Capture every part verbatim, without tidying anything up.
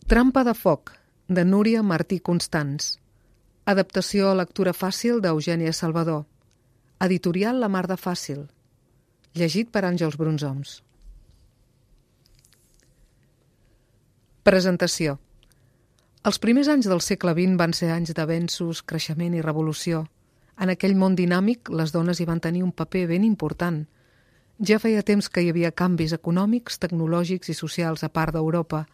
Trampa de foc, de Núria Martí Constans. Adaptació a lectura fàcil d'Eugènia Salvador. Editorial La Mar de Fàcil. Llegit per Àngels Brunzoms. Presentació. Els primers anys del segle vint van ser anys d'avenços, creixement i revolució. En aquell món dinàmic, les dones hi van tenir un paper ben important. Ja feia temps que hi havia canvis econòmics, tecnològics i socials a part d'Europa.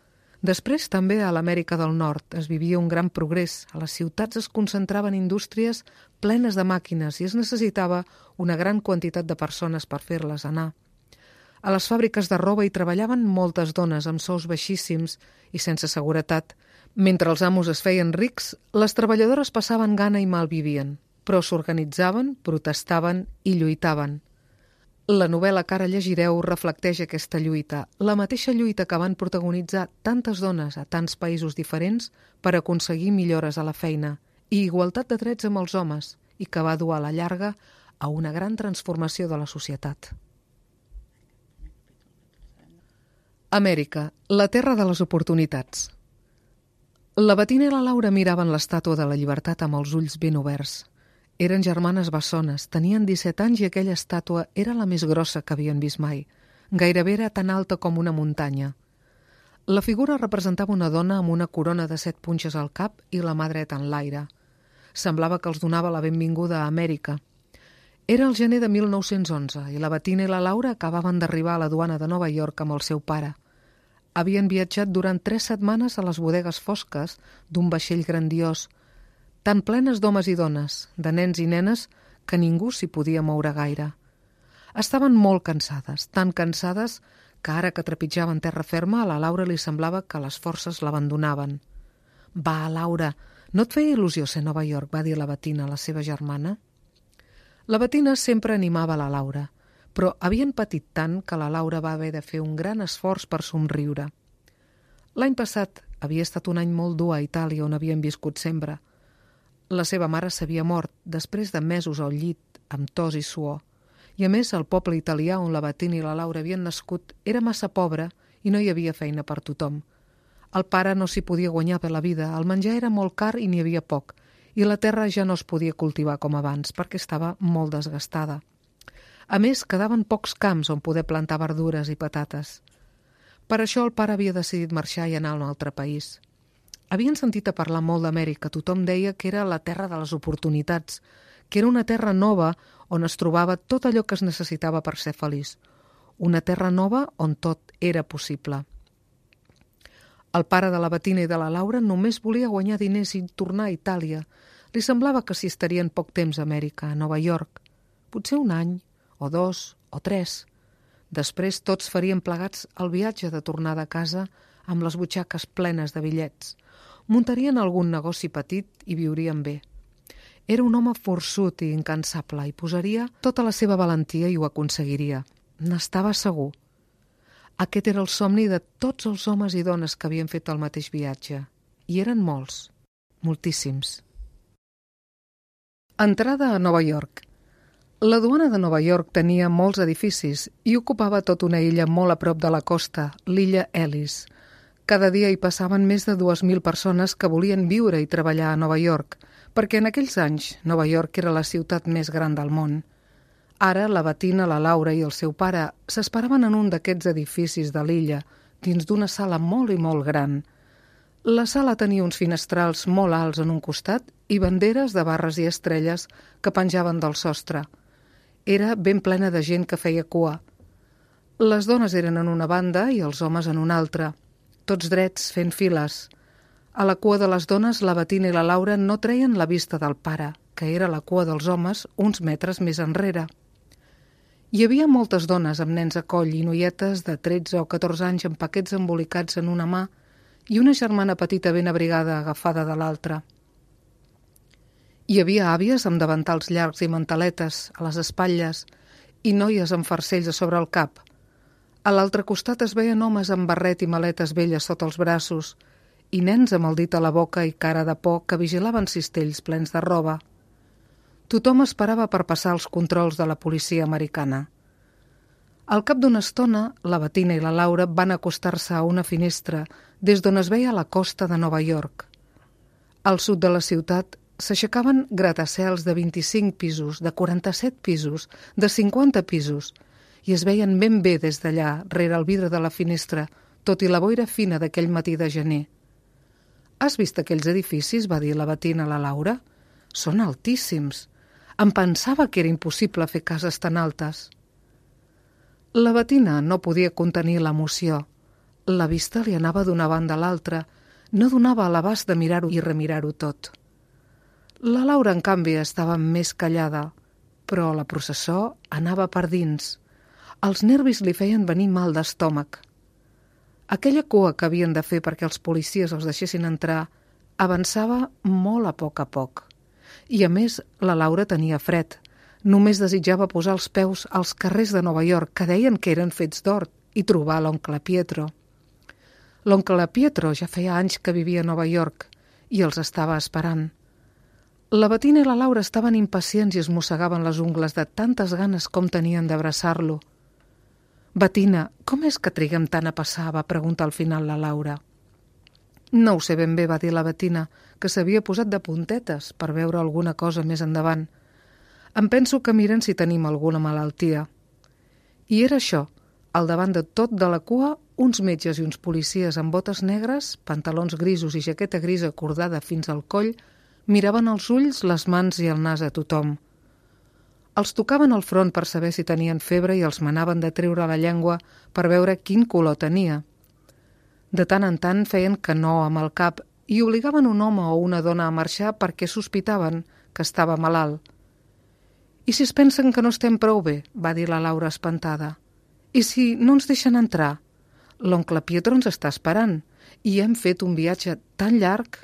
Després, també a l'Amèrica del Nord, es vivia un gran progrés. A les ciutats es concentraven indústries plenes de màquines i es necessitava una gran quantitat de persones per fer-les anar. A les fàbriques de roba hi treballaven moltes dones amb sous baixíssims i sense seguretat. Mentre els amos es feien rics, les treballadores passaven gana i malvivien, però s'organitzaven, protestaven i lluitaven. La novel·la que ara llegireu reflecteix aquesta lluita, la mateixa lluita que van protagonitzar tantes dones a tants països diferents per aconseguir millores a la feina i igualtat de drets amb els homes i que va dur a la llarga a una gran transformació de la societat. Amèrica, la terra de les oportunitats. La Bettina i la Laura miraven l'estàtua de la llibertat amb els ulls ben oberts. Eren germanes bessones, tenien disset anys i aquella estàtua era la més grossa que havien vist mai. Gairebé era tan alta com una muntanya. La figura representava una dona amb una corona de set punxes al cap i la mà dreta en l'aire. Semblava que els donava la benvinguda a Amèrica. Era el gener de mil nou-cents onze i la Bettina i la Laura acabaven d'arribar a la duana de Nova York amb el seu pare. Havien viatjat durant tres setmanes a les bodegues fosques d'un vaixell grandiós, tan plenes d'homes i dones, de nens i nenes, que ningú s'hi podia moure gaire. Estaven molt cansades, tan cansades que ara que trepitjaven terra ferma a la Laura li semblava que les forces l'abandonaven. «Va, Laura, no et feia il·lusió ser a Nova York?», va dir la Bettina a la seva germana. La Bettina sempre animava la Laura, però havien patit tant que la Laura va haver de fer un gran esforç per somriure. L'any passat havia estat un any molt dur a Itàlia, on havien viscut sempre. La seva mare s'havia mort després de mesos al llit, amb tos i suor. I a més, el poble italià on la Bettina i la Laura havien nascut era massa pobre i no hi havia feina per tothom. El pare no s'hi podia guanyar per la vida, el menjar era molt car i n'hi havia poc, i la terra ja no es podia cultivar com abans perquè estava molt desgastada. A més, quedaven pocs camps on poder plantar verdures i patates. Per això el pare havia decidit marxar i anar a un altre país. Havien sentit a parlar molt d'Amèrica, tothom deia que era la terra de les oportunitats, que era una terra nova on es trobava tot allò que es necessitava per ser feliç. Una terra nova on tot era possible. El pare de la Bettina i de la Laura només volia guanyar diners i tornar a Itàlia. Li semblava que s'hi estarien poc temps a Amèrica, a Nova York. Potser un any, o dos, o tres. Després tots farien plegats el viatge de tornada a casa amb les butxaques plenes de bitllets. Muntarien algun negoci petit i viurien bé. Era un home forçut i incansable i posaria tota la seva valentia i ho aconseguiria. N'estava segur. Aquest era el somni de tots els homes i dones que havien fet el mateix viatge. I eren molts, moltíssims. Entrada a Nova York. La duana de Nova York tenia molts edificis i ocupava tota una illa molt a prop de la costa, l'illa Ellis. Cada dia hi passaven més de dues mil persones que volien viure i treballar a Nova York, perquè en aquells anys Nova York era la ciutat més gran del món. Ara la Bettina, la Laura i el seu pare s'esperaven en un d'aquests edificis de l'illa, dins d'una sala molt i molt gran. La sala tenia uns finestrals molt alts en un costat i banderes de barres i estrelles que penjaven del sostre. Era ben plena de gent que feia cua. Les dones eren en una banda i els homes en una altra. Tots drets, fent files. A la cua de les dones, la Bettina i la Laura no treien la vista del pare, que era la cua dels homes uns metres més enrere. Hi havia moltes dones amb nens a coll i noietes de tretze o catorze anys amb paquets embolicats en una mà i una germana petita ben abrigada agafada de l'altra. Hi havia àvies amb davantals llargs i mantaletes a les espatlles i noies amb farcells a sobre el cap. A l'altre costat es veien homes amb barret i maletes velles sota els braços i nens amb el dit a la boca i cara de por que vigilaven cistells plens de roba. Tothom esperava per passar els controls de la policia americana. Al cap d'una estona, la Bettina i la Laura van acostar-se a una finestra des d'on es veia la costa de Nova York. Al sud de la ciutat s'aixecaven gratacels de vint-i-cinc pisos, de quaranta-set pisos, de cinquanta pisos, i es veien ben bé des d'allà, rere el vidre de la finestra, tot i la boira fina d'aquell matí de gener. «Has vist aquells edificis?», va dir la Bettina a la Laura. «Són altíssims. Em pensava que era impossible fer cases tan altes». La Bettina no podia contenir l'emoció. La vista li anava d'una banda a l'altra, no donava a l'abast de mirar-ho i remirar-ho tot. La Laura, en canvi, estava més callada, però la processó anava per dins. Els nervis li feien venir mal d'estómac. Aquella cua que havien de fer perquè els policies els deixessin entrar avançava molt a poc a poc. I, a més, la Laura tenia fred. Només desitjava posar els peus als carrers de Nova York, que deien que eren fets d'or, i trobar l'oncle Pietro. L'oncle Pietro ja feia anys que vivia a Nova York i els estava esperant. La Bettina i la Laura estaven impacients i es mossegaven les ungles de tantes ganes com tenien d'abraçar-lo. «Bettina, com és que triguem tant a passar?», va preguntar al final la Laura. «No ho sé ben bé», va dir la Bettina, que s'havia posat de puntetes per veure alguna cosa més endavant. «Em penso que miren si tenim alguna malaltia». I era això, al davant de tot de la cua, uns metges i uns policies amb botes negres, pantalons grisos i jaqueta grisa cordada fins al coll, miraven els ulls, les mans i el nas a tothom. Els tocaven al front per saber si tenien febre i els manaven de treure la llengua per veure quin color tenia. De tant en tant feien que no amb el cap i obligaven un home o una dona a marxar perquè sospitaven que estava malalt. «I si es pensen que no estem prou bé?», va dir la Laura espantada. «I si no ens deixen entrar? L'oncle Pietro ens està esperant i hem fet un viatge tan llarg».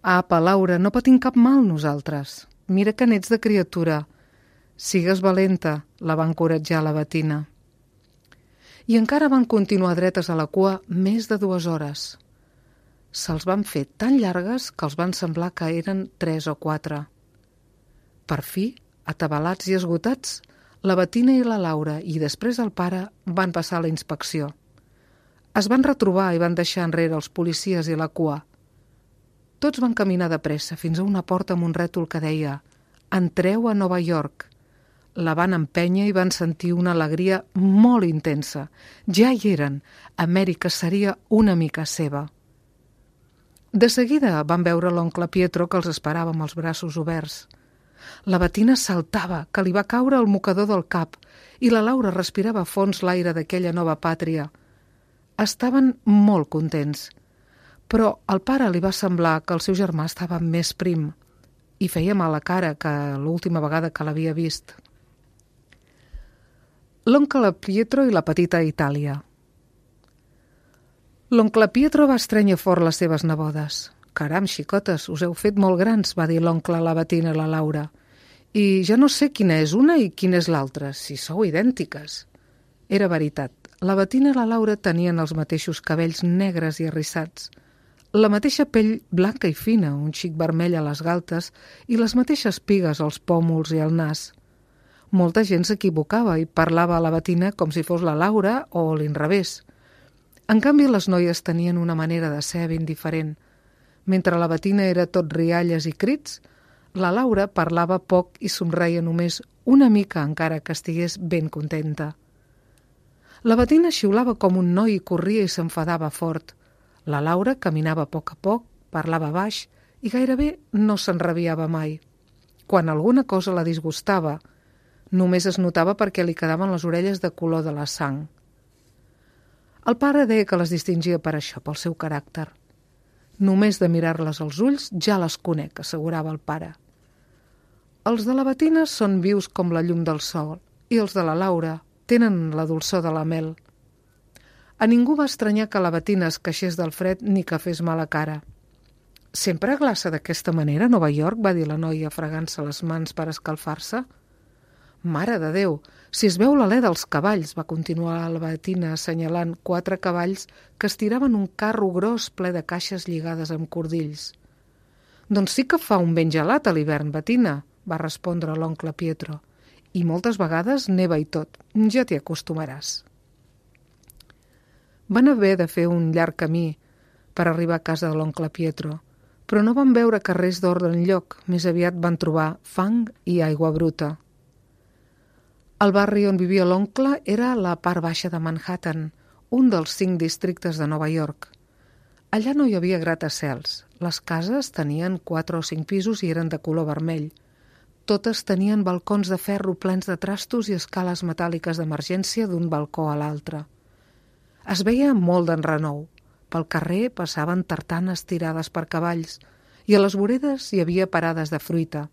«Apa, Laura, no patim cap mal nosaltres. Mira que n'ets de criatura. Sigues valenta», la va encoratjar la Bettina. I encara van continuar dretes a la cua més de dues hores. Se'ls van fer tan llargues que els van semblar que eren tres o quatre. Per fi, atabalats i esgotats, la Bettina i la Laura i després el pare van passar la inspecció. Es van retrobar i van deixar enrere els policies i la cua. Tots van caminar de pressa fins a una porta amb un rètol que deia «Entreu a Nova York». La van empènyer i van sentir una alegria molt intensa. Ja hi eren. Amèrica seria una mica seva. De seguida van veure l'oncle Pietro que els esperava amb els braços oberts. La Bettina saltava, que li va caure el mocador del cap, i la Laura respirava a fons l'aire d'aquella nova pàtria. Estaven molt contents, però al pare li va semblar que el seu germà estava més prim i feia mala cara que l'última vegada que l'havia vist. L'oncle Pietro i la petita Itàlia. L'oncle Pietro va estrènyer fort les seves nebodes. «Caram, xicotes, us heu fet molt grans», va dir l'oncle a la Bettina i la Laura. «I ja no sé quina és una i quina és l'altra, si sou idèntiques». Era veritat. La Bettina i la Laura tenien els mateixos cabells negres i arrissats, la mateixa pell blanca i fina, un xic vermell a les galtes i les mateixes pigues als pòmuls i al nas. Molta gent s'equivocava i parlava a la Bettina com si fos la Laura o l'inrevés. En canvi, les noies tenien una manera de ser ben diferent. Mentre la Bettina era tot rialles i crits, la Laura parlava poc i somreia només una mica encara que estigués ben contenta. La Bettina xiulava com un noi i corria i s'enfadava fort. La Laura caminava a poc a poc, parlava baix i gairebé no s'enrabiava mai. Quan alguna cosa la disgustava, només es notava perquè li quedaven les orelles de color de la sang. El pare deia que les distingia per això, pel seu caràcter. «Només de mirar-les als ulls ja les conec», assegurava el pare. Els de la Bettina són vius com la llum del sol i els de la Laura tenen la dolçor de la mel. A ningú va estranyar que la Bettina es queixés del fred ni que fes mala cara. «Sempre glaça d'aquesta manera a Nova York?», va dir la noia fregant-se les mans per escalfar-se. «Mare de Déu, si es veu l'alè dels cavalls», va continuar la Bettina assenyalant quatre cavalls que estiraven un carro gros ple de caixes lligades amb cordills. «Doncs sí que fa un ben gelat a l'hivern, Bettina», va respondre l'oncle Pietro. «I moltes vegades neva i tot. Ja t'hi acostumaràs». Van haver de fer un llarg camí. per arribar a casa de l'oncle Pietro, però no van veure carrers d'ordre enlloc, més aviat van trobar fang i aigua bruta. El barri on vivia l'oncle era la part baixa de Manhattan, un dels cinc districtes de Nova York. Allà no hi havia gratacels. Les cases tenien quatre o cinc pisos i eren de color vermell. Totes tenien balcons de ferro plens de trastos i escales metàl·liques d'emergència d'un balcó a l'altre. Es veia molt d'enrenou. Pel carrer passaven tartanes tirades per cavalls i a les voredes hi havia parades de fruita.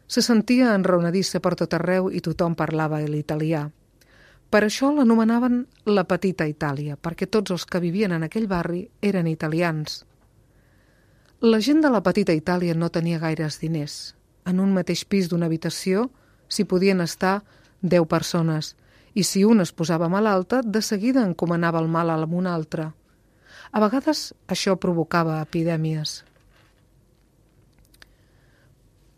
Se sentia enraonadissa per tot arreu i tothom parlava l'italià. Per això l'anomenaven la Petita Itàlia, perquè tots els que vivien en aquell barri eren italians. La gent de la Petita Itàlia no tenia gaires diners. En un mateix pis d'una habitació s'hi podien estar deu persones i si una es posava malalta, de seguida encomanava el mal a un altre. A vegades això provocava epidèmies.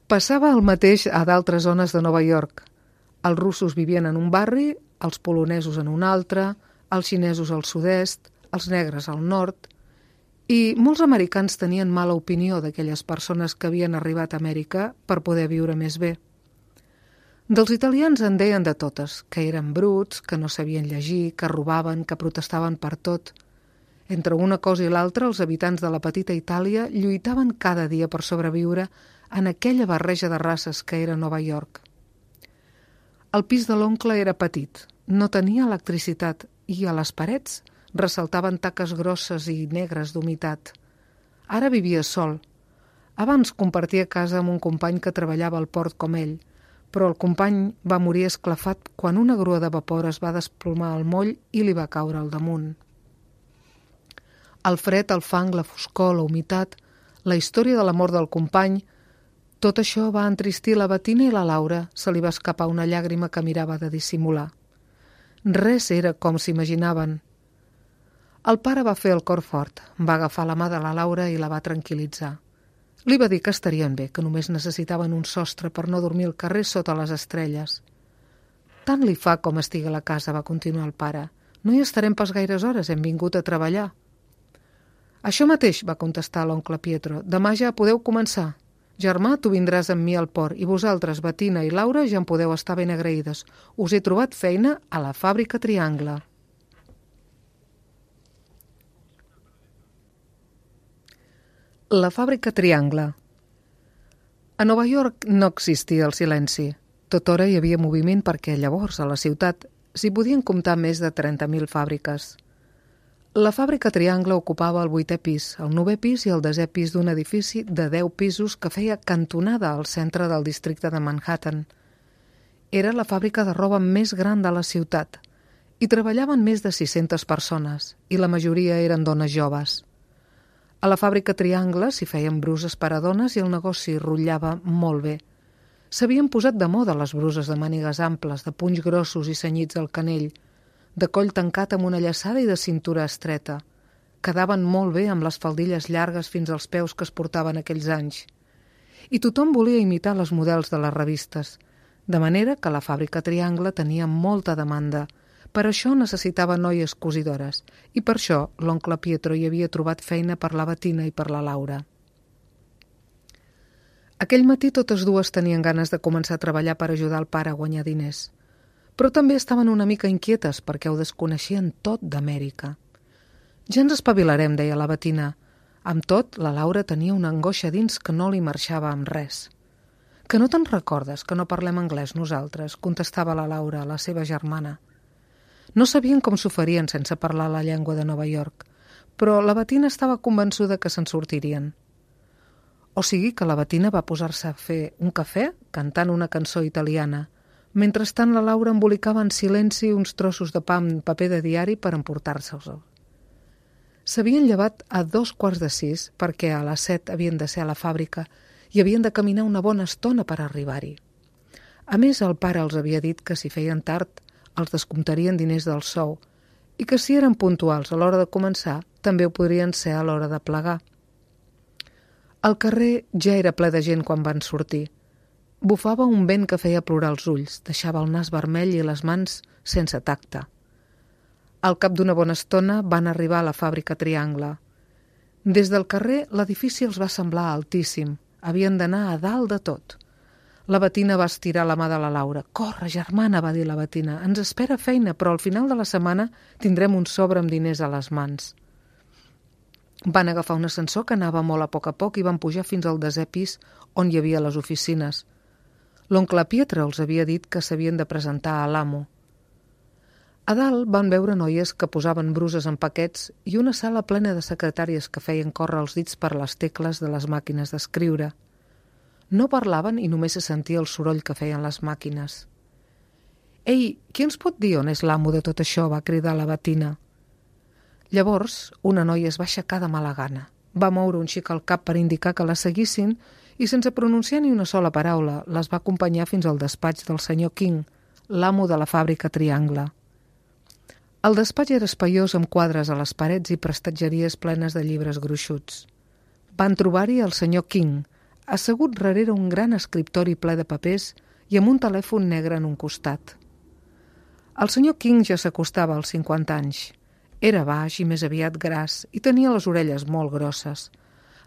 Passava el mateix a d'altres zones de Nova York. Els russos vivien en un barri, els polonesos en un altre, els xinesos al sud-est, els negres al nord, i molts americans tenien mala opinió d'aquelles persones que havien arribat a Amèrica per poder viure més bé. Dels italians en deien de totes, que eren bruts, que no sabien llegir, que robaven, que protestaven per tot. Entre una cosa i l'altra, els habitants de la Petita Itàlia lluitaven cada dia per sobreviure en aquella barreja de races que era Nova York. El pis de l'oncle era petit, no tenia electricitat i a les parets ressaltaven taques grosses i negres d'humitat. Ara vivia sol. Abans compartia casa amb un company que treballava al port com ell, però el company va morir esclafat quan una grua de vapor es va desplomar al moll i li va caure al damunt. El fred, el fang, la foscor, la humitat, la història de la mort del company, tot això va entristir la Bettina i la Laura. Se li va escapar una llàgrima que mirava de dissimular. Res era com s'imaginaven. El pare va fer el cor fort, va agafar la mà de la Laura i la va tranquil·litzar. Li va dir que estarien bé, que només necessitaven un sostre per no dormir al carrer sota les estrelles. Tant li fa com estigui a la casa, va continuar el pare. No hi estarem pas gaires hores, hem vingut a treballar. Això mateix, va contestar l'oncle Pietro. Demà ja podeu començar. Germà, tu vindràs amb mi al port i vosaltres, Bettina i Laura, ja en podeu estar ben agraïdes. Us he trobat feina a la fàbrica Triangle. La fàbrica Triangle. A Nova York no existia el silenci. Tothora hi havia moviment perquè llavors a la ciutat s'hi podien comptar més de trenta mil fàbriques. La fàbrica Triangle ocupava el vuitè pis, el novè pis i el desè pis d'un edifici de deu pisos que feia cantonada al centre del districte de Manhattan. Era la fàbrica de roba més gran de la ciutat. Hi treballaven més de sis-centes persones i la majoria eren dones joves. A la fàbrica Triangle s'hi feien bruses per a dones i el negoci rotllava molt bé. S'havien posat de moda les bruses de mànigues amples, de punys grossos i cenyits al canell, de coll tancat amb una llaçada i de cintura estreta. Quedaven molt bé amb les faldilles llargues fins als peus que es portaven aquells anys. I tothom volia imitar les models de les revistes, de manera que la fàbrica Triangle tenia molta demanda. Per això necessitava noies cosidores i per això l'oncle Pietro hi havia trobat feina per la Bettina i per la Laura. Aquell matí totes dues tenien ganes de començar a treballar per ajudar el pare a guanyar diners, però també estaven una mica inquietes perquè ho desconeixien tot d'Amèrica. Ja ens espavilarem, deia la Bettina. Amb tot, la Laura tenia una angoixa dins que no li marxava amb res. Que no te'n recordes que no parlem anglès nosaltres? Contestava la Laura, la seva germana. No sabien com s'ho farien sense parlar la llengua de Nova York, però la Bettina estava convençuda que se'n sortirien. O sigui que la Bettina va posar-se a fer un cafè cantant una cançó italiana. Mentrestant la Laura embolicava en silenci uns trossos de pa en paper de diari per emportar-se'ls. S'havien llevat a dos quarts de sis perquè a les set havien de ser a la fàbrica i havien de caminar una bona estona per arribar-hi. A més, el pare els havia dit que si feien tard els descomptarien diners del sou i que si eren puntuals a l'hora de començar també ho podrien ser a l'hora de plegar. El carrer ja era ple de gent quan van sortir. Bufava un vent que feia plorar els ulls, deixava el nas vermell i les mans sense tacte. Al cap d'una bona estona van arribar a la fàbrica Triangle. Des del carrer, l'edifici els va semblar altíssim. Havien d'anar a dalt de tot. La Bettina va estirar la mà de la Laura. «Corre, germana», va dir la Bettina. «Ens espera feina, però al final de la setmana tindrem un sobre amb diners a les mans». Van agafar un ascensor que anava molt a poc a poc i van pujar fins al desè pis on hi havia les oficines. L'oncle Pietro els havia dit que s'havien de presentar a l'amo. A dalt van veure noies que posaven bruses en paquets i una sala plena de secretàries que feien córrer els dits per les tecles de les màquines d'escriure. No parlaven i només se sentia el soroll que feien les màquines. «Ei, qui ens pot dir on és l'amo de tot això?», va cridar la Bettina. Llavors, una noia es va aixecar de mala gana. Va moure un xic el cap per indicar que la seguissin i, sense pronunciar ni una sola paraula, les va acompanyar fins al despatx del senyor King, l'amo de la fàbrica Triangle. El despatx era espaiós amb quadres a les parets i prestatgeries plenes de llibres gruixuts. Van trobar-hi el senyor King, assegut darrere un gran escriptori ple de papers i amb un telèfon negre en un costat. El senyor King ja s'acostava als cinquanta anys. Era baix i més aviat gras i tenia les orelles molt grosses.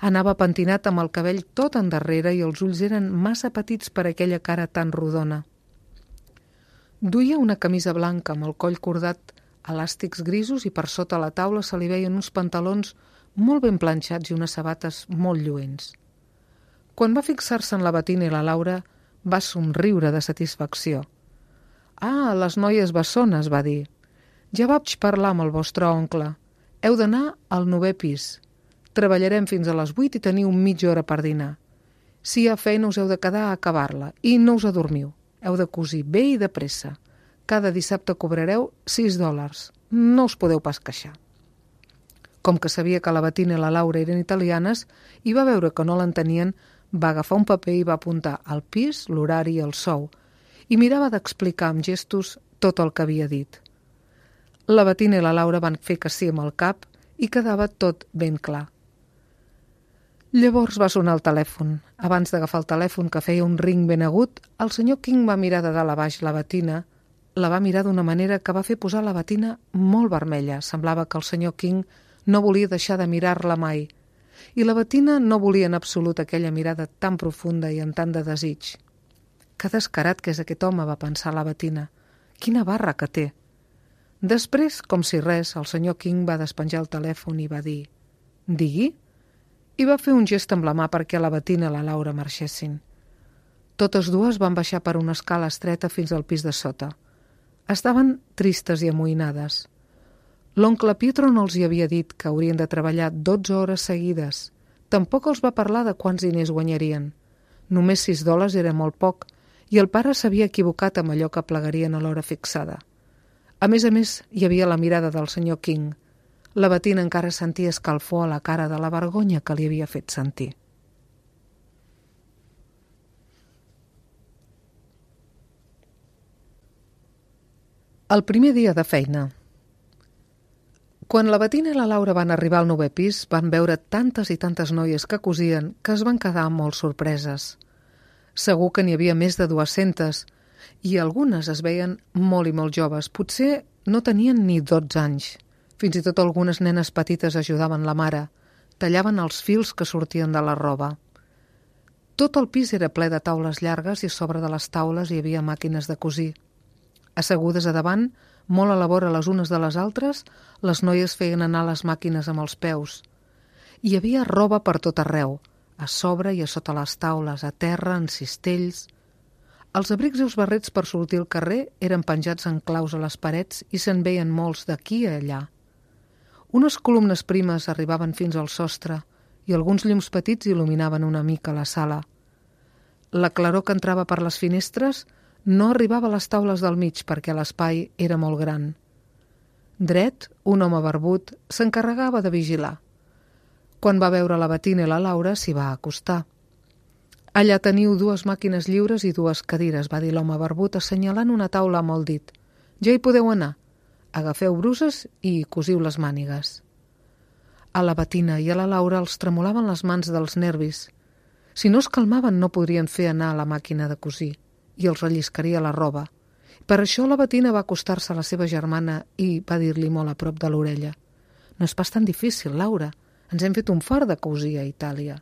Anava pentinat amb el cabell tot endarrere i els ulls eren massa petits per aquella cara tan rodona. Duia una camisa blanca amb el coll cordat, elàstics grisos i per sota la taula se li veien uns pantalons molt ben planxats i unes sabates molt lluents. Quan va fixar-se en la Bettina i la Laura, va somriure de satisfacció. «Ah, les noies bessones», va dir. «Ja vaig parlar amb el vostre oncle. Heu d'anar al novè pis. Treballarem fins a les vuit i teniu mitja hora per dinar. Si hi ha feina us heu de quedar a acabar-la i no us adormiu. Heu de cosir bé i de pressa. Cada dissabte cobrareu sis dòlars. No us podeu pas queixar». Com que sabia que la Bettina i la Laura eren italianes i va veure que no l'entenien, va agafar un paper i va apuntar al pis, l'horari i el sou, i mirava d'explicar amb gestos tot el que havia dit. La Bettina i la Laura van fer que sí amb el cap i quedava tot ben clar. Llavors va sonar el telèfon. Abans d'agafar el telèfon, que feia un ring ben agut, el senyor King va mirar de dalt a baix la Bettina, la va mirar d'una manera que va fer posar la Bettina molt vermella. Semblava que el senyor King no volia deixar de mirar-la mai, i la Bettina no volia en absolut aquella mirada tan profunda i amb tant de desig. «Que descarat que és aquest home», va pensar la Bettina. «Quina barra que té». Després, com si res, el senyor King va despenjar el telèfon i va dir «Digui?» i va fer un gest amb la mà perquè la Bettina i la Laura marxessin. Totes dues van baixar per una escala estreta fins al pis de sota. Estaven tristes i amoïnades. L'oncle Pietro no els hi havia dit que haurien de treballar dotze hores seguides. Tampoc els va parlar de quants diners guanyarien. Només sis dòlars era molt poc i el pare s'havia equivocat amb allò que plegarien a l'hora fixada. A més a més, hi havia la mirada del senyor King. La Bettina encara sentia escalfor a la cara de la vergonya que li havia fet sentir. El primer dia de feina. Quan la Bettina i la Laura van arribar al novè pis, van veure tantes i tantes noies que cosien que es van quedar molt sorpreses. Segur que n'hi havia més de dues-centes, i algunes es veien molt i molt joves. Potser no tenien ni dotze anys. Fins i tot algunes nenes petites ajudaven la mare. Tallaven els fils que sortien de la roba. Tot el pis era ple de taules llargues i a sobre de les taules hi havia màquines de cosir. Assegudes a davant, molt a la vora les unes de les altres, les noies feien anar les màquines amb els peus. Hi havia roba per tot arreu, a sobre i a sota les taules, a terra, en cistells. Els abrics i els barrets per sortir al carrer eren penjats en claus a les parets i se'n veien molts d'aquí a allà. Unes columnes primes arribaven fins al sostre i alguns llums petits il·luminaven una mica la sala. La claror que entrava per les finestres no arribava a les taules del mig perquè l'espai era molt gran. Dret, un home barbut s'encarregava de vigilar. Quan va veure la Bettina i la Laura s'hi va acostar. «Allà teniu dues màquines lliures i dues cadires», va dir l'home barbut assenyalant una taula amb el dit. «Ja hi podeu anar. Agafeu bruses i cosiu les mànigues». A la Bettina i a la Laura els tremolaven les mans dels nervis. Si no es calmaven no podrien fer anar a la màquina de cosir i els relliscaria la roba. Per això la Bettina va acostar-se a la seva germana i va dir-li molt a prop de l'orella. «No és pas tan difícil, Laura. Ens hem fet un fart de cosir a Itàlia.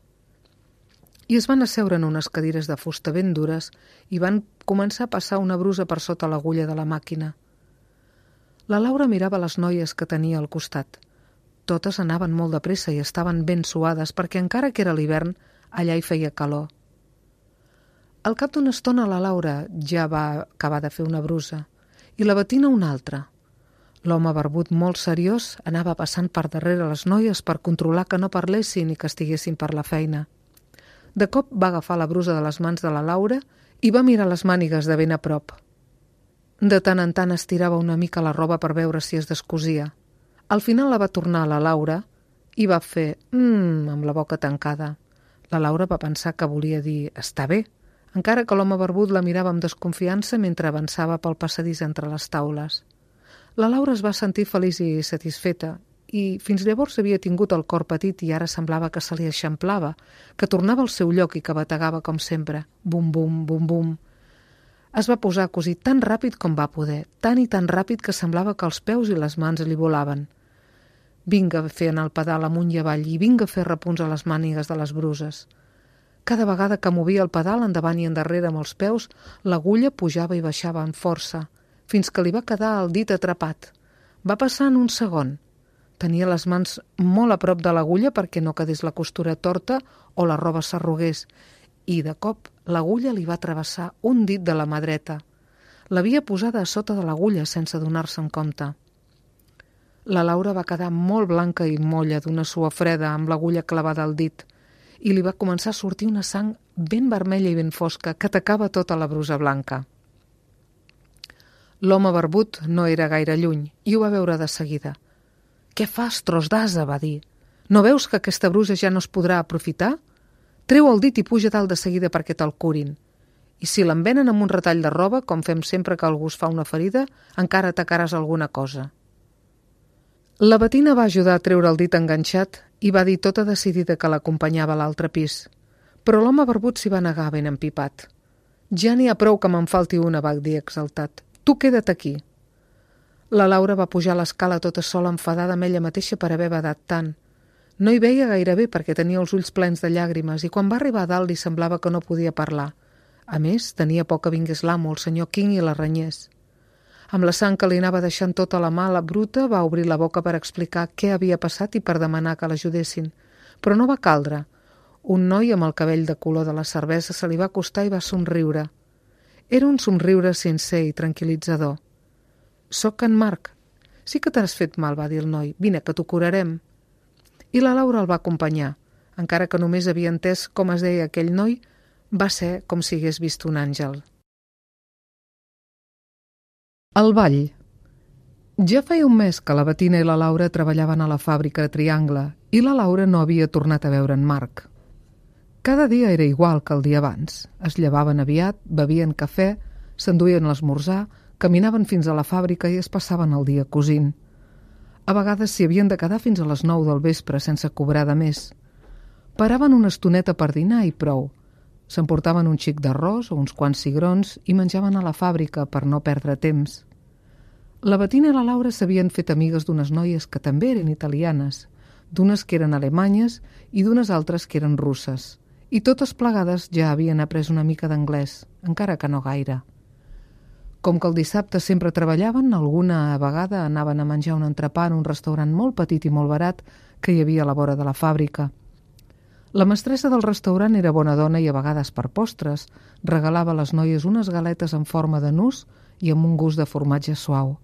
I es van asseure en unes cadires de fusta ben dures i van començar a passar una brusa per sota l'agulla de la màquina. La Laura mirava les noies que tenia al costat. Totes anaven molt de pressa i estaven ben suades perquè encara que era l'hivern, allà hi feia calor. Al cap d'una estona la Laura ja va acabar de fer una brusa i la Bettina una altra. L'home barbut molt seriós anava passant per darrere les noies per controlar que no parlessin i que estiguessin per la feina. De cop va agafar la brusa de les mans de la Laura i va mirar les mànigues de ben a prop. De tant en tant estirava una mica la roba per veure si es descosia. Al final la va tornar a la Laura i va fer «mmm» amb la boca tancada. La Laura va pensar que volia dir «està bé», encara que l'home barbut la mirava amb desconfiança mentre avançava pel passadís entre les taules. La Laura es va sentir feliç i satisfeta i fins llavors havia tingut el cor petit i ara semblava que se li eixamplava, que tornava al seu lloc i que bategava com sempre. Bum, bum, bum, bum. Es va posar a cosir tan ràpid com va poder, tan i tan ràpid que semblava que els peus i les mans li volaven. Vinga a fer anar el pedal amunt i avall i vinga a fer repunts a les mànigues de les bruses. Cada vegada que movia el pedal endavant i endarrere amb els peus, l'agulla pujava i baixava amb força, fins que li va quedar el dit atrapat. Va passar en un segon. Tenia les mans molt a prop de l'agulla perquè no quedés la costura torta o la roba s'arrugués, i de cop l'agulla li va travessar un dit de la mà dreta. L'havia posada a sota de l'agulla sense donar-se'n compte. La Laura va quedar molt blanca i molla d'una suor freda amb l'agulla clavada al dit i li va començar a sortir una sang ben vermella i ben fosca que tacava tota la brusa blanca. L'home barbut no era gaire lluny i ho va veure de seguida. «Què fas, tros d'ase?», va dir. «No veus que aquesta brusa ja no es podrà aprofitar? Treu el dit i puja dalt de seguida perquè te'l curin. I si l'envenen amb un retall de roba, com fem sempre que algú es fa una ferida, encara atacaràs alguna cosa». La Bettina va ajudar a treure el dit enganxat i va dir tota decidida que l'acompanyava a l'altre pis. Però l'home barbut s'hi va negar ben empipat. «Ja n'hi ha prou que me'n falti una», va dir exaltat. «Tu queda't aquí». La Laura va pujar a l'escala tota sola enfadada amb ella mateixa per haver badat tant. No hi veia gaire bé perquè tenia els ulls plens de llàgrimes i quan va arribar a dalt li semblava que no podia parlar. A més, tenia por que vingués l'amo, el senyor King, i la renyés. Amb la sang que li anava deixant tota la mà, la bruta va obrir la boca per explicar què havia passat i per demanar que l'ajudessin. Però no va caldre. Un noi amb el cabell de color de la cervesa se li va acostar i va somriure. Era un somriure sincer i tranquil·litzador. «Soc en Marc». «Sí que t'has fet mal», va dir el noi. «Vine, que t'ho curarem». I la Laura el va acompanyar. Encara que només havia entès com es deia aquell noi, va ser com si hagués vist un àngel. El ball. Ja feia un mes que la Bettina i la Laura treballaven a la fàbrica de Triangle i la Laura no havia tornat a veure en Marc. Cada dia era igual que el dia abans. Es llevaven aviat, bevien cafè, s'enduien l'esmorzar, caminaven fins a la fàbrica i es passaven el dia cosint. A vegades s'hi havien de quedar fins a les nou del vespre sense cobrar de més. Paraven una estoneta per dinar i prou. S'emportaven un xic d'arròs o uns quants cigrons i menjaven a la fàbrica per no perdre temps. La Bettina i la Laura s'havien fet amigues d'unes noies que també eren italianes, d'unes que eren alemanyes i d'unes altres que eren russes, i totes plegades ja havien après una mica d'anglès, encara que no gaire. Com que el dissabte sempre treballaven, alguna vegada anaven a menjar un entrepà en un restaurant molt petit i molt barat que hi havia a la vora de la fàbrica. La mestressa del restaurant era bona dona i a vegades per postres regalava a les noies unes galetes en forma de nus i amb un gust de formatge suau.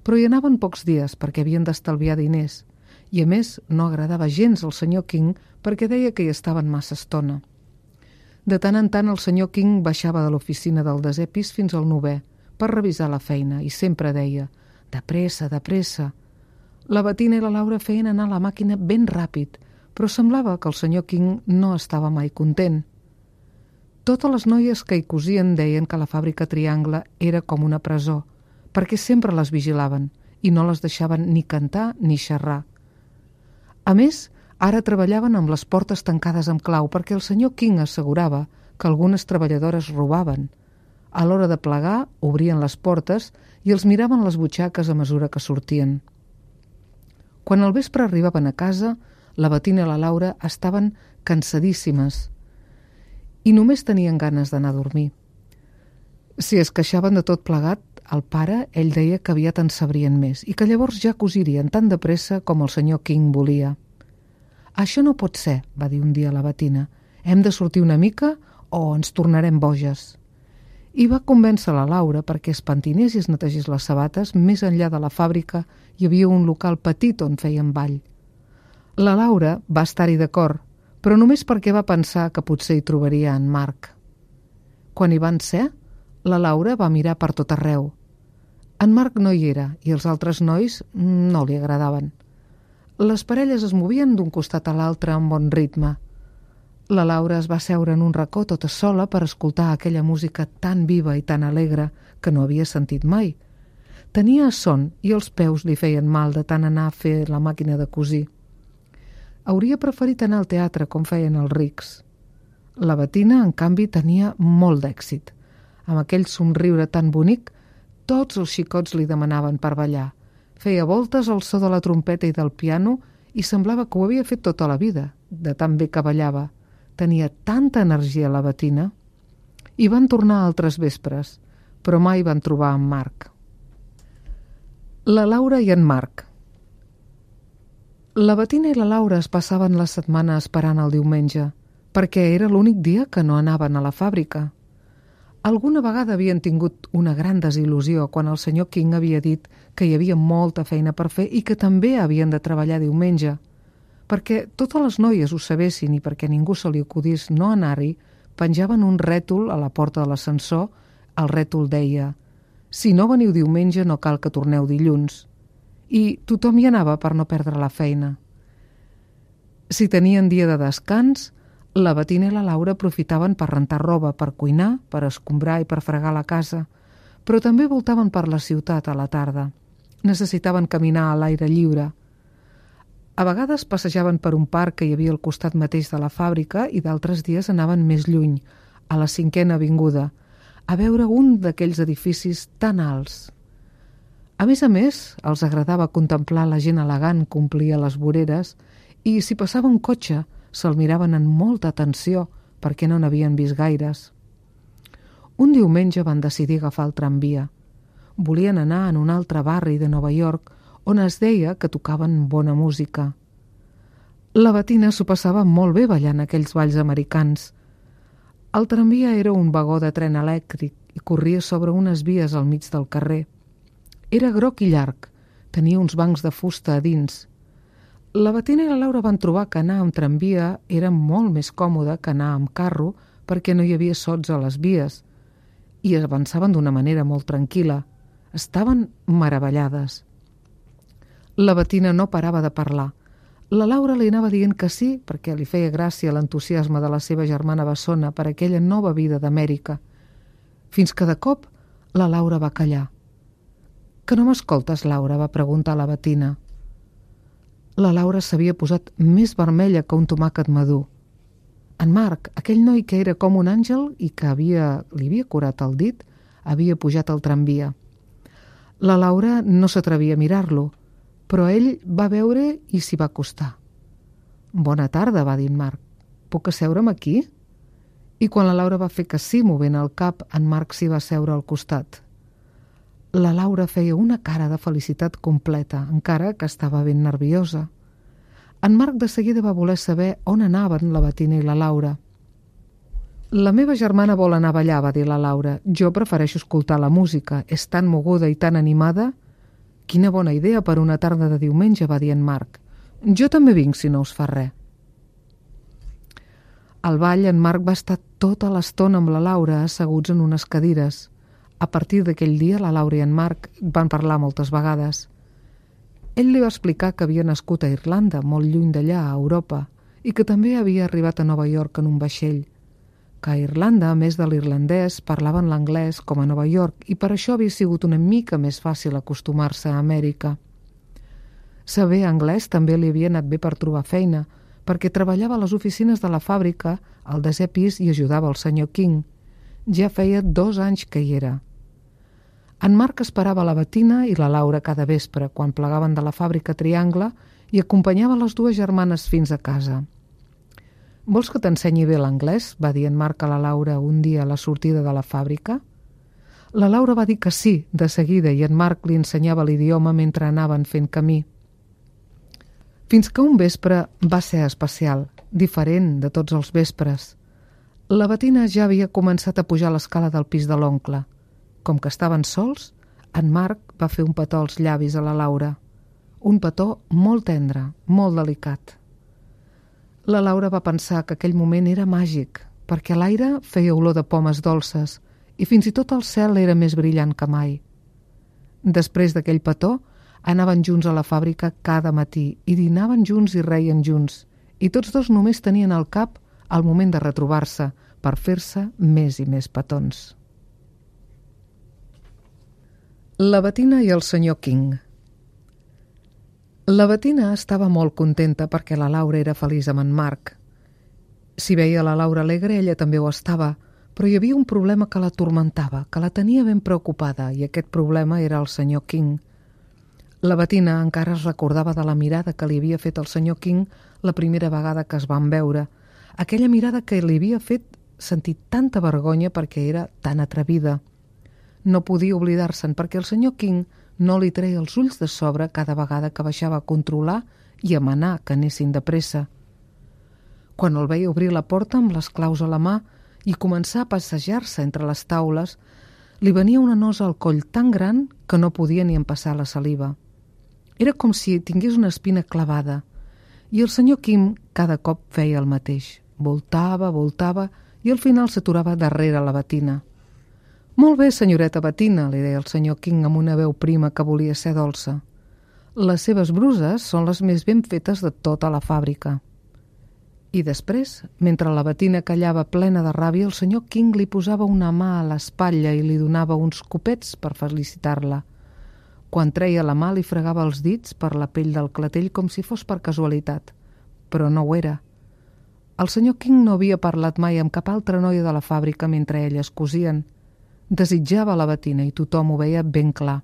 Però hi anaven pocs dies perquè havien d'estalviar diners i a més no agradava gens al senyor King perquè deia que hi estaven massa estona. De tant en tant el senyor King baixava de l'oficina del desè pis fins al novè per revisar la feina i sempre deia «de pressa, de pressa». La Bettina i la Laura feien anar la màquina ben ràpid, però semblava que el senyor King no estava mai content. Totes les noies que hi cosien deien que la fàbrica Triangle era com una presó, perquè sempre les vigilaven i no les deixaven ni cantar ni xerrar. A més, ara treballaven amb les portes tancades amb clau perquè el senyor King assegurava que algunes treballadores robaven. A l'hora de plegar, obrien les portes i els miraven les butxaques a mesura que sortien. Quan al vespre arribaven a casa, La Bettina i la Laura estaven cansadíssimes i només tenien ganes d'anar a dormir. Si es queixaven de tot plegat, el pare, ell deia que aviat en sabrien més i que llavors ja cosirien tan de pressa com el senyor King volia. «Això no pot ser», va dir un dia la Bettina. «Hem de sortir una mica o ens tornarem boges». I va convèncer la Laura perquè es pentinés i es netegés les sabates. Més enllà de la fàbrica hi havia un local petit on feien ball. La Laura va estar-hi d'acord, però només perquè va pensar que potser hi trobaria en Marc. Quan hi van ser, la Laura va mirar per tot arreu. En Marc no hi era i els altres nois no li agradaven. Les parelles es movien d'un costat a l'altre amb bon ritme. La Laura es va seure en un racó tota sola per escoltar aquella música tan viva i tan alegre que no havia sentit mai. Tenia son i els peus li feien mal de tant anar a fer la màquina de cosir. Hauria preferit anar al teatre com feien els rics. La Bettina, en canvi, tenia molt d'èxit. Amb aquell somriure tan bonic, tots els xicots li demanaven per ballar. Feia voltes al so de la trompeta i del piano i semblava que ho havia fet tota la vida, de tan bé que ballava. Tenia tanta energia la Bettina. I van tornar altres vespres, però mai van trobar en Marc. La Laura i en Marc. La Bettina i la Laura es passaven la setmana esperant el diumenge, perquè era l'únic dia que no anaven a la fàbrica. Alguna vegada havien tingut una gran desil·lusió quan el senyor King havia dit que hi havia molta feina per fer i que també havien de treballar diumenge. Perquè totes les noies ho sabessin i perquè ningú se li acudís no anar-hi, penjaven un rètol a la porta de l'ascensor. El rètol deia: «Si no veniu diumenge no cal que torneu dilluns». I tothom hi anava per no perdre la feina. Si tenien dia de descans, la Bettina i la Laura aprofitaven per rentar roba, per cuinar, per escombrar i per fregar la casa, però també voltaven per la ciutat a la tarda. Necessitaven caminar a l'aire lliure. A vegades passejaven per un parc que hi havia al costat mateix de la fàbrica i d'altres dies anaven més lluny, a la Cinquena Avinguda, a veure un d'aquells edificis tan alts. A més a més, els agradava contemplar la gent elegant que omplia les voreres i, si passava un cotxe, se'l miraven amb molta atenció perquè no n'havien vist gaires. Un diumenge van decidir agafar el tramvia. Volien anar en un altre barri de Nova York on es deia que tocaven bona música. La Bettina s'ho passava molt bé ballant aquells balls americans. El tramvia era un vagó de tren elèctric i corria sobre unes vies al mig del carrer. Era groc i llarg, tenia uns bancs de fusta a dins. La Bettina i la Laura van trobar que anar amb tramvia era molt més còmode que anar amb carro perquè no hi havia sots a les vies i avançaven d'una manera molt tranquil·la. Estaven meravellades. La Bettina no parava de parlar. La Laura li anava dient que sí perquè li feia gràcia l'entusiasme de la seva germana bessona per aquella nova vida d'Amèrica. Fins que de cop la Laura va callar. «Que no m'escoltes, Laura?», va preguntar la Bettina. La Laura s'havia posat més vermella que un tomàquet madur. En Marc, aquell noi que era com un àngel i que havia, li havia curat el dit, havia pujat al tramvia. La Laura no s'atrevia a mirar-lo, però ell va veure i s'hi va acostar. «Bona tarda», va dir en Marc. «Puc asseure'm aquí?» I quan la Laura va fer que sí, movent el cap, en Marc s'hi va seure al costat. La Laura feia una cara de felicitat completa, encara que estava ben nerviosa. En Marc de seguida va voler saber on anaven la Bettina i la Laura. «La meva germana vol anar a ballar», va dir la Laura. «Jo prefereixo escoltar la música. És tan moguda i tan animada». «Quina bona idea per una tarda de diumenge», va dir en Marc. «Jo també vinc, si no us fa res». Al ball, en Marc va estar tota l'estona amb la Laura asseguts en unes cadires. A partir d'aquell dia, la Laura i en Marc van parlar moltes vegades. Ell li va explicar que havia nascut a Irlanda, molt lluny d'allà, a Europa, i que també havia arribat a Nova York en un vaixell. Que a Irlanda, a més de l'irlandès, parlaven l'anglès com a Nova York i per això havia sigut una mica més fàcil acostumar-se a Amèrica. Saber anglès també li havia anat bé per trobar feina, perquè treballava a les oficines de la fàbrica, al desè pis, i ajudava el senyor King. Ja feia dos anys que hi era. En Marc esperava la Bettina i la Laura cada vespre, quan plegaven de la fàbrica Triangle, i acompanyava les dues germanes fins a casa. «Vols que t'ensenyi bé l'anglès?», va dir en Marc a la Laura un dia a la sortida de la fàbrica. La Laura va dir que sí, de seguida, i en Marc li ensenyava l'idioma mentre anaven fent camí. Fins que un vespre va ser especial, diferent de tots els vespres. La Bettina ja havia començat a pujar l'escala del pis de l'oncle. Com que estaven sols, en Marc va fer un petó als llavis a la Laura. Un petó molt tendre, molt delicat. La Laura va pensar que aquell moment era màgic, perquè l'aire feia olor de pomes dolces i fins i tot el cel era més brillant que mai. Després d'aquell petó, anaven junts a la fàbrica cada matí i dinaven junts i reien junts, i tots dos només tenien al cap el moment de retrobar-se per fer-se més i més petons. La Bettina i el senyor King. La Bettina estava molt contenta perquè la Laura era feliç amb en Marc. Si veia la Laura alegre, ella també ho estava, però hi havia un problema que la turmentava, que la tenia ben preocupada, i aquest problema era el senyor King. La Bettina encara es recordava de la mirada que li havia fet el senyor King la primera vegada que es van veure, aquella mirada que li havia fet sentir tanta vergonya perquè era tan atrevida. No podia oblidar-se'n perquè el senyor King no li treia els ulls de sobre cada vegada que baixava a controlar i a manar que anessin de pressa. Quan el veia obrir la porta amb les claus a la mà i començar a passejar-se entre les taules, li venia una nosa al coll tan gran que no podia ni empassar la saliva. Era com si tingués una espina clavada, i el senyor King cada cop feia el mateix. Voltava, voltava, i al final s'aturava darrere la Bettina. «Molt bé, senyoreta Bettina», li deia el senyor King amb una veu prima que volia ser dolça. «Les seves bruses són les més ben fetes de tota la fàbrica». I després, mentre la Bettina callava plena de ràbia, el senyor King li posava una mà a l'espatlla i li donava uns copets per felicitar-la. Quan treia la mà li fregava els dits per la pell del clatell com si fos per casualitat, però no ho era. El senyor King no havia parlat mai amb cap altra noia de la fàbrica mentre elles cosien. Desitjava la Bettina i tothom ho veia ben clar.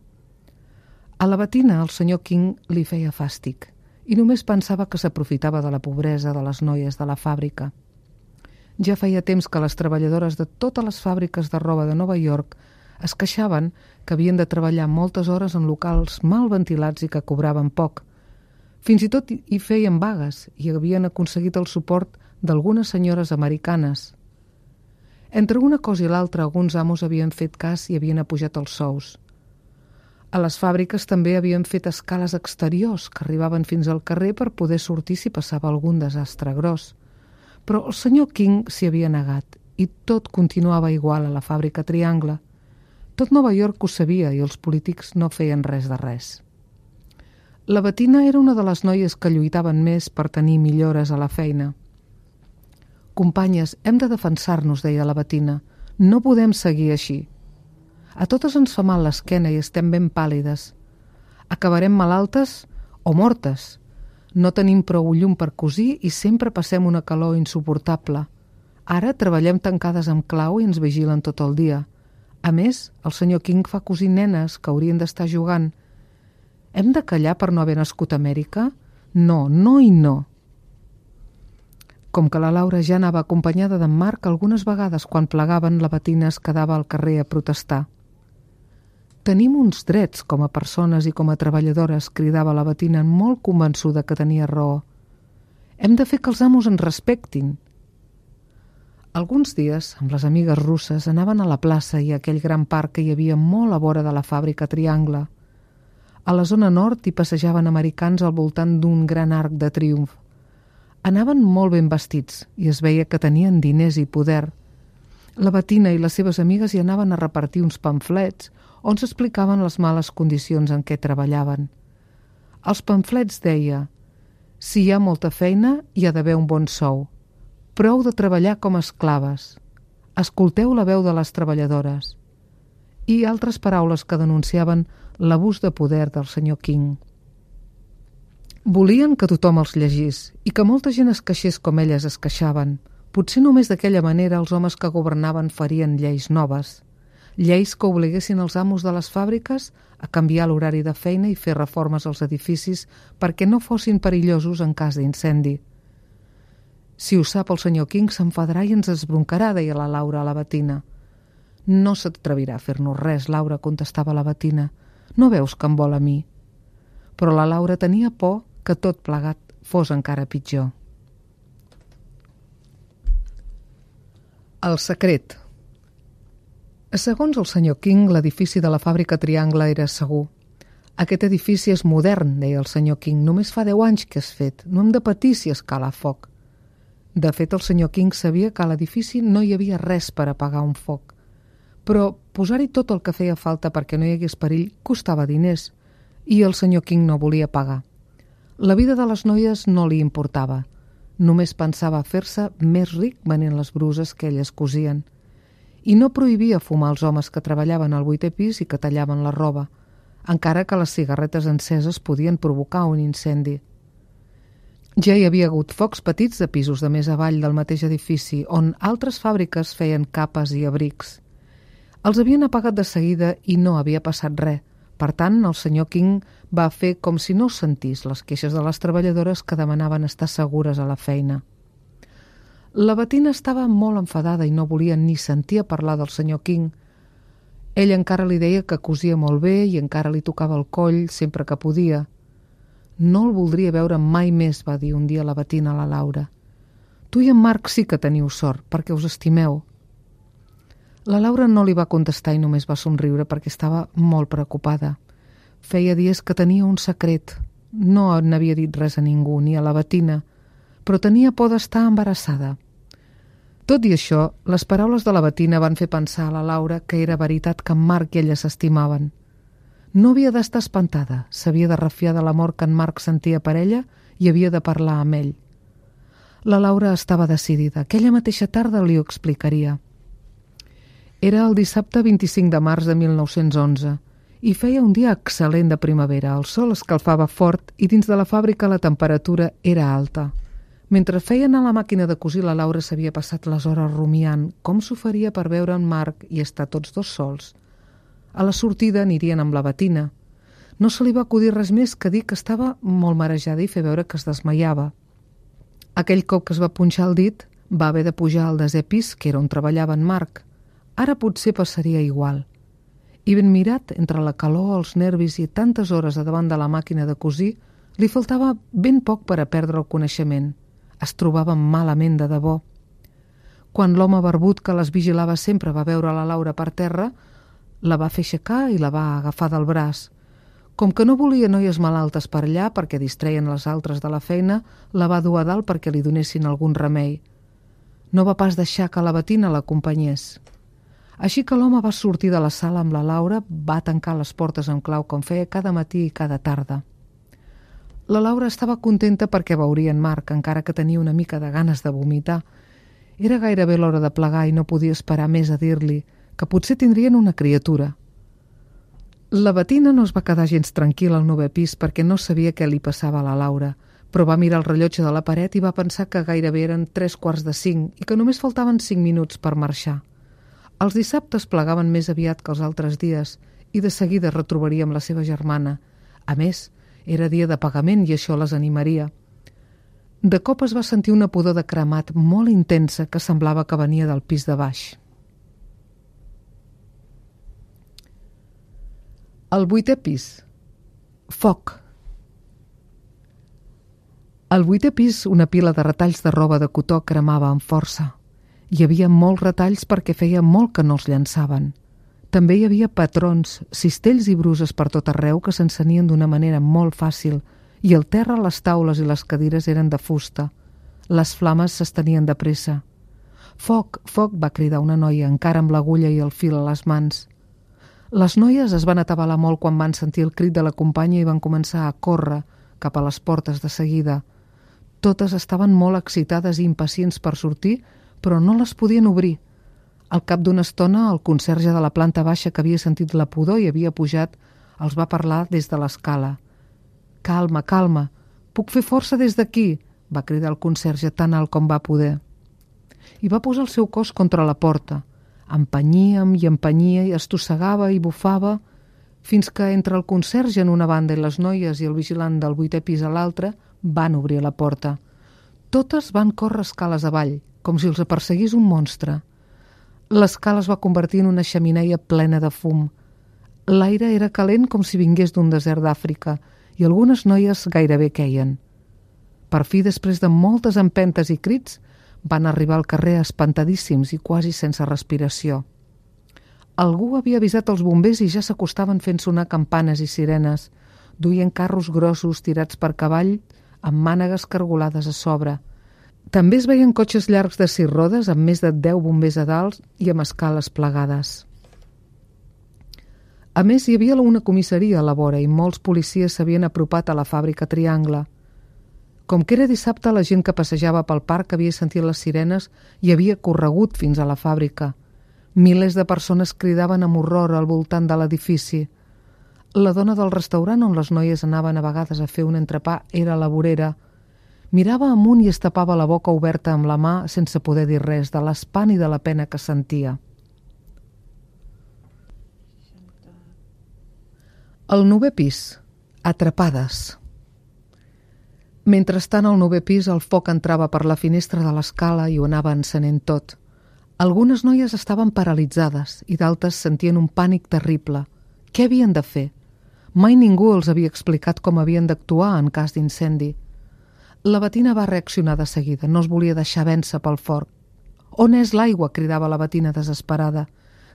A la Bettina el senyor King li feia fàstic i només pensava que s'aprofitava de la pobresa de les noies de la fàbrica. Ja feia temps que les treballadores de totes les fàbriques de roba de Nova York es queixaven que havien de treballar moltes hores en locals mal ventilats i que cobraven poc. Fins i tot hi feien vagues i havien aconseguit el suport d'algunes senyores americanes. Entre una cosa i l'altra, alguns amos havien fet cas i havien apujat els sous. A les fàbriques també havien fet escales exteriors que arribaven fins al carrer per poder sortir si passava algun desastre gros. Però el senyor King s'hi havia negat i tot continuava igual a la fàbrica Triangle. Tot Nova York ho sabia i els polítics no feien res de res. La Bettina era una de les noies que lluitaven més per tenir millores a la feina. «Companyes, hem de defensar-nos», deia la Bettina. «No podem seguir així. A totes ens fa mal l'esquena i estem ben pàl·lides. Acabarem malaltes o mortes. No tenim prou llum per cosir i sempre passem una calor insuportable. Ara treballem tancades amb clau i ens vigilen tot el dia. A més, el senyor King fa cosir nenes que haurien d'estar jugant. Hem de callar per no haver nascut a Amèrica? No, no i no». Com que la Laura ja anava acompanyada d'en Marc, algunes vegades quan plegaven la Bettina es quedava al carrer a protestar. «Tenim uns drets com a persones i com a treballadores», cridava la Bettina molt convençuda que tenia raó. «Hem de fer que els amos ens respectin». Alguns dies, amb les amigues russes, anaven a la plaça i a aquell gran parc que hi havia molt a vora de la fàbrica Triangle. A la zona nord hi passejaven americans al voltant d'un gran arc de triomf. Anaven molt ben vestits i es veia que tenien diners i poder. La Bettina i les seves amigues hi anaven a repartir uns pamflets on s'explicaven les males condicions en què treballaven. Els pamflets deia: «Si hi ha molta feina, hi ha d'haver un bon sou. Prou de treballar com esclaves. Escolteu la veu de les treballadores». I altres paraules que denunciaven l'abús de poder del senyor King. Volien que tothom els llegís i que molta gent es queixés com elles es queixaven. Potser només d'aquella manera els homes que governaven farien lleis noves. lleis que obliguessin els amos de les fàbriques a canviar l'horari de feina i fer reformes als edificis perquè no fossin perillosos en cas d'incendi. Si ho sap el senyor King s'enfadarà i ens esbroncarà, deia la Laura a la Bettina. No s'atrevirà a fer-nos res, Laura, contestava la Bettina. No veus que em vol a mi? Però la Laura tenia por que tot plegat fos encara pitjor. El secret. Segons el senyor King, l'edifici de la fàbrica Triangle era segur. Aquest edifici és modern, deia el senyor King. Només fa deu anys que és fet. No hem de patir si escala foc. De fet, el senyor King sabia que a l'edifici no hi havia res per apagar un foc. Però posar-hi tot el que feia falta perquè no hi hagués perill costava diners i el senyor King no volia pagar. La vida de les noies no li importava. Només pensava fer-se més ric venent les bruses que elles cosien. I no prohibia fumar als homes que treballaven al vuitè pis i que tallaven la roba, encara que les cigarretes enceses podien provocar un incendi. Ja hi havia hagut focs petits de pisos de més avall del mateix edifici, on altres fàbriques feien capes i abrics. Els havien apagat de seguida i no havia passat res. Per tant, el senyor King va fer com si no sentís les queixes de les treballadores que demanaven estar segures a la feina. La Bettina estava molt enfadada i no volia ni sentir a parlar del senyor King. Ell encara li deia que cosia molt bé i encara li tocava el coll sempre que podia. No el voldria veure mai més, va dir un dia la Bettina a la Laura. Tu i en Marc sí que teniu sort, perquè us estimeu. La Laura no li va contestar i només va somriure perquè estava molt preocupada. Feia dies que tenia un secret. No n'havia dit res a ningú, ni a la Bettina, però tenia por d'estar embarassada. Tot i això, les paraules de la Bettina van fer pensar a la Laura que era veritat que en Marc i ella s'estimaven. No havia d'estar espantada, s'havia de refiar de l'amor que en Marc sentia per ella i havia de parlar amb ell. La Laura estava decidida. Aquella mateixa tarda li ho explicaria. Era el dissabte vint-i-cinc de març de mil nou-cents onze i feia un dia excel·lent de primavera. El sol escalfava fort i dins de la fàbrica la temperatura era alta. Mentre feien a la màquina de cosir, la Laura s'havia passat les hores rumiant com s'ho faria per veure en Marc i estar tots dos sols. A la sortida anirien amb la Bettina. No se li va acudir res més que dir que estava molt marejada i fer veure que es desmaiava. Aquell cop que es va punxar el dit, va haver de pujar al desè pis, que era on treballava en Marc. Ara potser passaria igual. I ben mirat, entre la calor, els nervis i tantes hores a davant de la màquina de cosir, li faltava ben poc per a perdre el coneixement. Es trobava malament de debò. Quan l'home barbut que les vigilava sempre va veure la Laura per terra, la va fer aixecar i la va agafar del braç. Com que no volia noies malaltes per allà perquè distreien les altres de la feina, la va dur a dalt perquè li donessin algun remei. No va pas deixar que la Bettina l'acompanyés. Així que l'home va sortir de la sala amb la Laura, va tancar les portes amb clau com feia cada matí i cada tarda. La Laura estava contenta perquè veuria en Marc, encara que tenia una mica de ganes de vomitar. Era gairebé l'hora de plegar i no podia esperar més a dir-li que potser tindrien una criatura. La Bettina no es va quedar gens tranquil·la al novè pis perquè no sabia què li passava a la Laura, però va mirar el rellotge de la paret i va pensar que gairebé eren tres quarts de cinc i que només faltaven cinc minuts per marxar. Els dissabtes plegaven més aviat que els altres dies i de seguida retrobaria amb la seva germana. A més, era dia de pagament i això les animaria. De cop es va sentir una pudor de cremat molt intensa que semblava que venia del pis de baix. El vuitè pis. Foc. Al vuitè pis, una pila de retalls de roba de cotó cremava amb força. Hi havia molts retalls perquè feia molt que no els llançaven. També hi havia patrons, cistells i bruses per tot arreu que s'encenien d'una manera molt fàcil i al terra les taules i les cadires eren de fusta. Les flames s'estenien de pressa. Foc, foc, va cridar una noia, encara amb l'agulla i el fil a les mans. Les noies es van atabalar molt quan van sentir el crit de la companya i van començar a córrer cap a les portes de seguida. Totes estaven molt excitades i impacients per sortir, però no les podien obrir. Al cap d'una estona, el conserge de la planta baixa que havia sentit la pudor i havia pujat, els va parlar des de l'escala. «Calma, calma, puc fer força des d'aquí», va cridar el conserge tan alt com va poder. I va posar el seu cos contra la porta. Empenyíem i empenyia i estossegava i bufava, fins que entre el conserge en una banda i les noies i el vigilant del vuitè pis a l'altre van obrir la porta. Totes van córrer escales avall, com si els perseguís un monstre. L'escala es va convertir en una xemeneia plena de fum. L'aire era calent com si vingués d'un desert d'Àfrica i algunes noies gairebé queien. Per fi, després de moltes empentes i crits, van arribar al carrer espantadíssims i quasi sense respiració. Algú havia avisat els bombers i ja s'acostaven fent sonar campanes i sirenes, duien carros grossos tirats per cavall amb mànegues cargolades a sobre. També es veien cotxes llargs de sis rodes amb més de deu bombers a dalt i amb escales plegades. A més, hi havia una comissaria a la vora i molts policies s'havien apropat a la fàbrica Triangle. Com que era dissabte, la gent que passejava pel parc havia sentit les sirenes i havia corregut fins a la fàbrica. Milers de persones cridaven amb horror al voltant de l'edifici. La dona del restaurant on les noies anaven a vegades a fer un entrepà era la vorera. Mirava amunt i es tapava la boca oberta amb la mà sense poder dir res de l'espant i de la pena que sentia. El novè pis. Atrapades. Mentrestant, al novè pis, el foc entrava per la finestra de l'escala i ho anava encenent tot. Algunes noies estaven paralitzades i d'altres sentien un pànic terrible. Què havien de fer? Mai ningú els havia explicat com havien d'actuar en cas d'incendi. La Bettina va reaccionar de seguida, no es volia deixar vèncer pel foc. «On és l'aigua?», cridava la Bettina desesperada.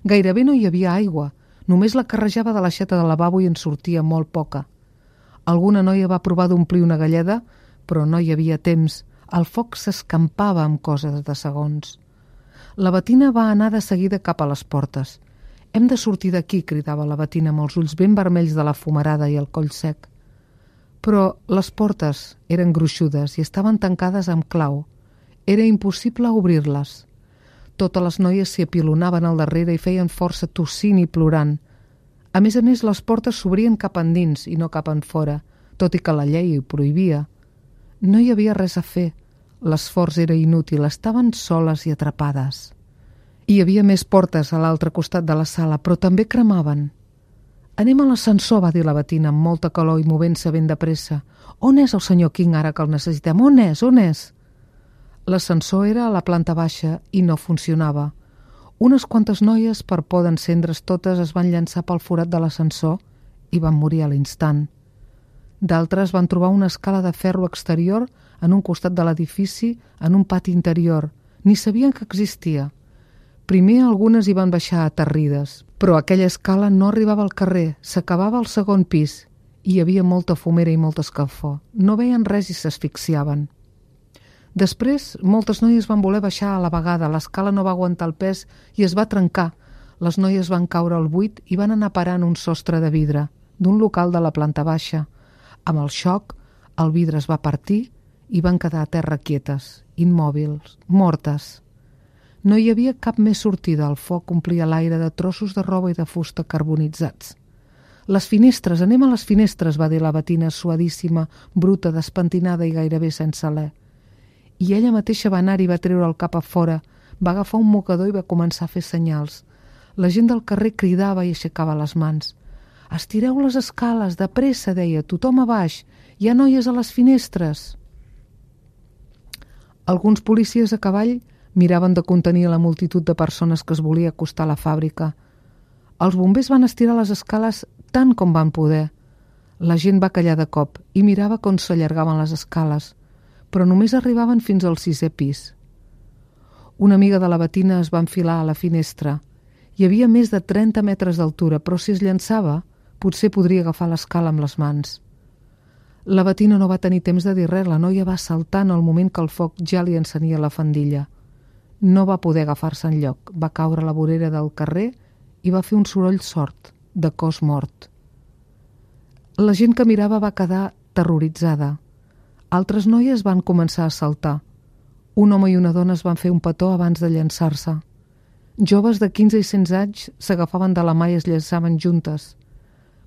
Gairebé no hi havia aigua, només la carrejava de l'aixeta del lavabo i en sortia molt poca. Alguna noia va provar d'omplir una galleda, però no hi havia temps. El foc s'escampava amb coses de segons. La Bettina va anar de seguida cap a les portes. «Hem de sortir d'aquí», cridava la Bettina amb els ulls ben vermells de la fumarada i el coll sec. Però les portes eren gruixudes i estaven tancades amb clau. Era impossible obrir-les. Totes les noies s'hi apilonaven al darrere i feien força tossint i plorant. A més a més, les portes s'obrien cap endins i no cap enfora, tot i que la llei ho prohibia. No hi havia res a fer. L'esforç era inútil, estaven soles i atrapades. Hi havia més portes a l'altre costat de la sala, però també cremaven. «Anem a l'ascensor», va dir la Bettina amb molta calor i movent-se ben de pressa. «On és el senyor King ara que el necessitem? On és? On és?» L'ascensor era a la planta baixa i no funcionava. Unes quantes noies, per por d'encendre's totes, es van llançar pel forat de l'ascensor i van morir a l'instant. D'altres van trobar una escala de ferro exterior en un costat de l'edifici, en un pati interior. Ni sabien que existia. Primer algunes hi van baixar aterrides, però aquella escala no arribava al carrer, s'acabava al segon pis. Hi havia molta fumera i molta escalfor. No veien res i s'asfixiaven. Després, moltes noies van voler baixar a la vegada. L'escala no va aguantar el pes i es va trencar. Les noies van caure al buit i van anar parant un sostre de vidre d'un local de la planta baixa. Amb el xoc, el vidre es va partir i van quedar a terra quietes, immòbils, mortes. No hi havia cap més sortida. El foc omplia l'aire de trossos de roba i de fusta carbonitzats. «Les finestres, anem a les finestres», va dir la Bettina, suadíssima, bruta, despentinada i gairebé sense alè. I ella mateixa va anar i va treure el cap a fora, va agafar un mocador i va començar a fer senyals. La gent del carrer cridava i aixecava les mans. «Estireu les escales, de pressa», deia, «tothom a baix, hi ha noies a les finestres». Alguns policies a cavall miraven de contenir la multitud de persones que es volia acostar a la fàbrica. Els bombers van estirar les escales tant com van poder. La gent va callar de cop i mirava com s'allargaven les escales, però només arribaven fins al sisè pis. Una amiga de la Bettina es va enfilar a la finestra. Hi havia més de trenta metres d'altura, però si es llançava, potser podria agafar l'escala amb les mans. La Bettina no va tenir temps de dir res, la noia va saltar en el moment que el foc ja li encenia la faldilla. No va poder agafar-se enlloc, va caure a la vorera del carrer i va fer un soroll sord, de cos mort. La gent que mirava va quedar terroritzada. Altres noies van començar a saltar. Un home i una dona es van fer un petó abans de llançar-se. Joves de quinze i setze anys s'agafaven de la mà i es llançaven juntes.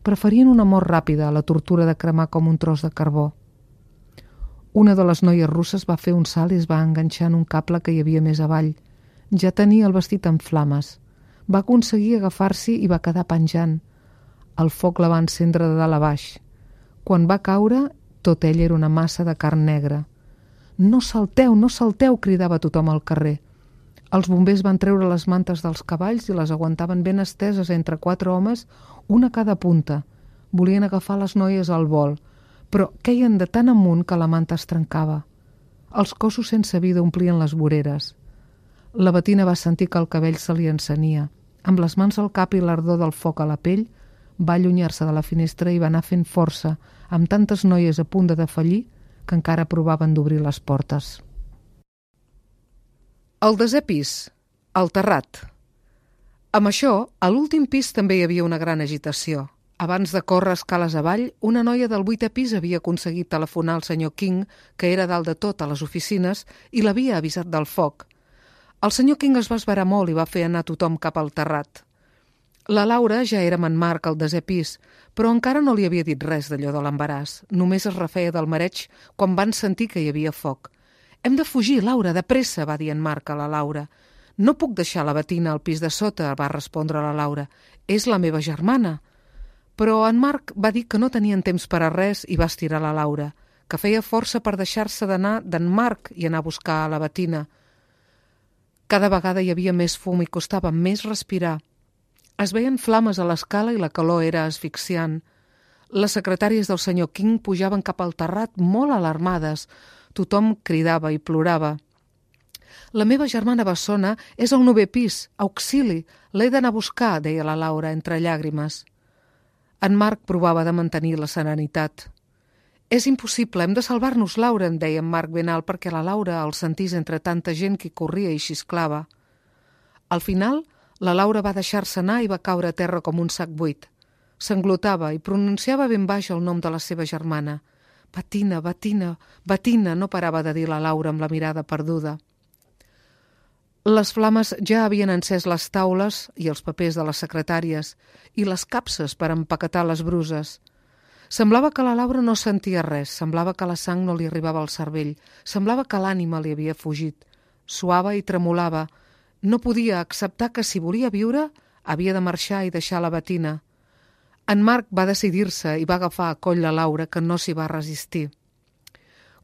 Preferien una mort ràpida a la tortura de cremar com un tros de carbó. Una de les noies russes va fer un salt i es va enganxar en un cable que hi havia més avall. Ja tenia el vestit en flames. Va aconseguir agafar-s'hi i va quedar penjant. El foc la va encendre de dalt a baix. Quan va caure, tot ell era una massa de carn negra. «No salteu, no salteu!» cridava tothom al carrer. Els bombers van treure les mantes dels cavalls i les aguantaven ben esteses entre quatre homes, una a cada punta. Volien agafar les noies al vol, però queien de tan amunt que la manta es trencava. Els cossos sense vida omplien les voreres. La Bettina va sentir que el cabell se li encenia. Amb les mans al cap i l'ardor del foc a la pell, va allunyar-se de la finestra i va anar fent força, amb tantes noies a punt de defallir que encara provaven d'obrir les portes. Al desè pis, al terrat. Amb això, a l'últim pis també hi havia una gran agitació. Abans de córrer escales avall, una noia del vuitè pis havia aconseguit telefonar al senyor King, que era dalt de tot a les oficines, i l'havia avisat del foc. El senyor King es va esverar molt i va fer anar tothom cap al terrat. La Laura ja era amb en Marc al desè pis, però encara no li havia dit res d'allò de l'embaràs. Només es refeia del mareig quan van sentir que hi havia foc. «Hem de fugir, Laura, de pressa», va dir en Marc a la Laura. «No puc deixar la Bettina al pis de sota», va respondre la Laura. «És la meva germana». Però en Marc va dir que no tenien temps per a res i va estirar la Laura, que feia força per deixar-se d'anar d'en Marc i anar a buscar a la Bettina. Cada vegada hi havia més fum i costava més respirar. Es veien flames a l'escala i la calor era asfixiant. Les secretàries del senyor King pujaven cap al terrat molt alarmades. Tothom cridava i plorava. «La meva germana bessona és al novè pis, auxili, l'he d'anar a buscar», deia la Laura entre llàgrimes. En Marc provava de mantenir la serenitat. «És impossible, hem de salvar-nos, Laura», em deia en Marc ben alt perquè la Laura el sentís entre tanta gent que corria i xisclava. Al final, la Laura va deixar-se anar i va caure a terra com un sac buit. S'englotava i pronunciava ben baix el nom de la seva germana. «Bettina, Bettina, Bettina», no parava de dir la Laura amb la mirada perduda. Les flames ja havien encès les taules i els papers de les secretàries i les capses per empaquetar les bruses. Semblava que la Laura no sentia res, semblava que la sang no li arribava al cervell, semblava que l'ànima li havia fugit. Suava i tremolava. No podia acceptar que si volia viure havia de marxar i deixar la Bettina. En Marc va decidir-se i va agafar a coll la Laura, que no s'hi va resistir.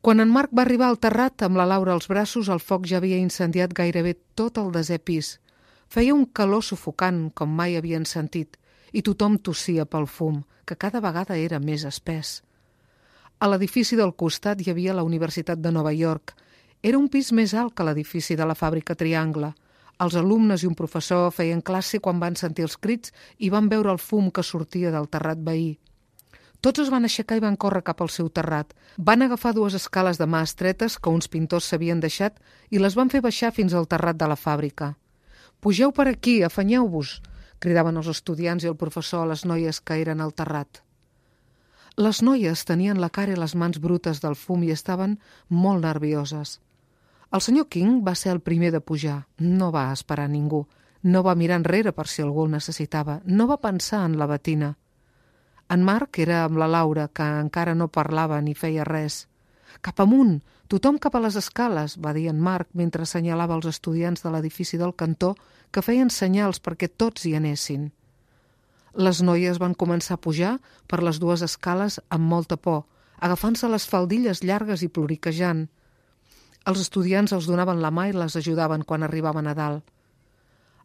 Quan en Marc va arribar al terrat amb la Laura als braços, el foc ja havia incendiat gairebé tot el desè pis. Feia un calor sufocant, com mai havien sentit, i tothom tossia pel fum, que cada vegada era més espès. A l'edifici del costat hi havia la Universitat de Nova York. Era un pis més alt que l'edifici de la fàbrica Triangle. Els alumnes i un professor feien classe quan van sentir els crits i van veure el fum que sortia del terrat veí. Tots es van aixecar i van córrer cap al seu terrat. Van agafar dues escales de mà estretes que uns pintors s'havien deixat i les van fer baixar fins al terrat de la fàbrica. «Pugeu per aquí, afanyeu-vos», cridaven els estudiants i el professor a les noies que eren al terrat. Les noies tenien la cara i les mans brutes del fum i estaven molt nervioses. El senyor King va ser el primer de pujar. No va esperar ningú. No va mirar enrere per si algú el necessitava. No va pensar en la Bettina. En Marc era amb la Laura, que encara no parlava ni feia res. «Cap amunt! Tothom cap a les escales», va dir en Marc mentre assenyalava els estudiants de l'edifici del cantó que feien senyals perquè tots hi anessin. Les noies van començar a pujar per les dues escales amb molta por, agafant-se les faldilles llargues i ploriquejant. Els estudiants els donaven la mà i les ajudaven quan arribaven a dalt.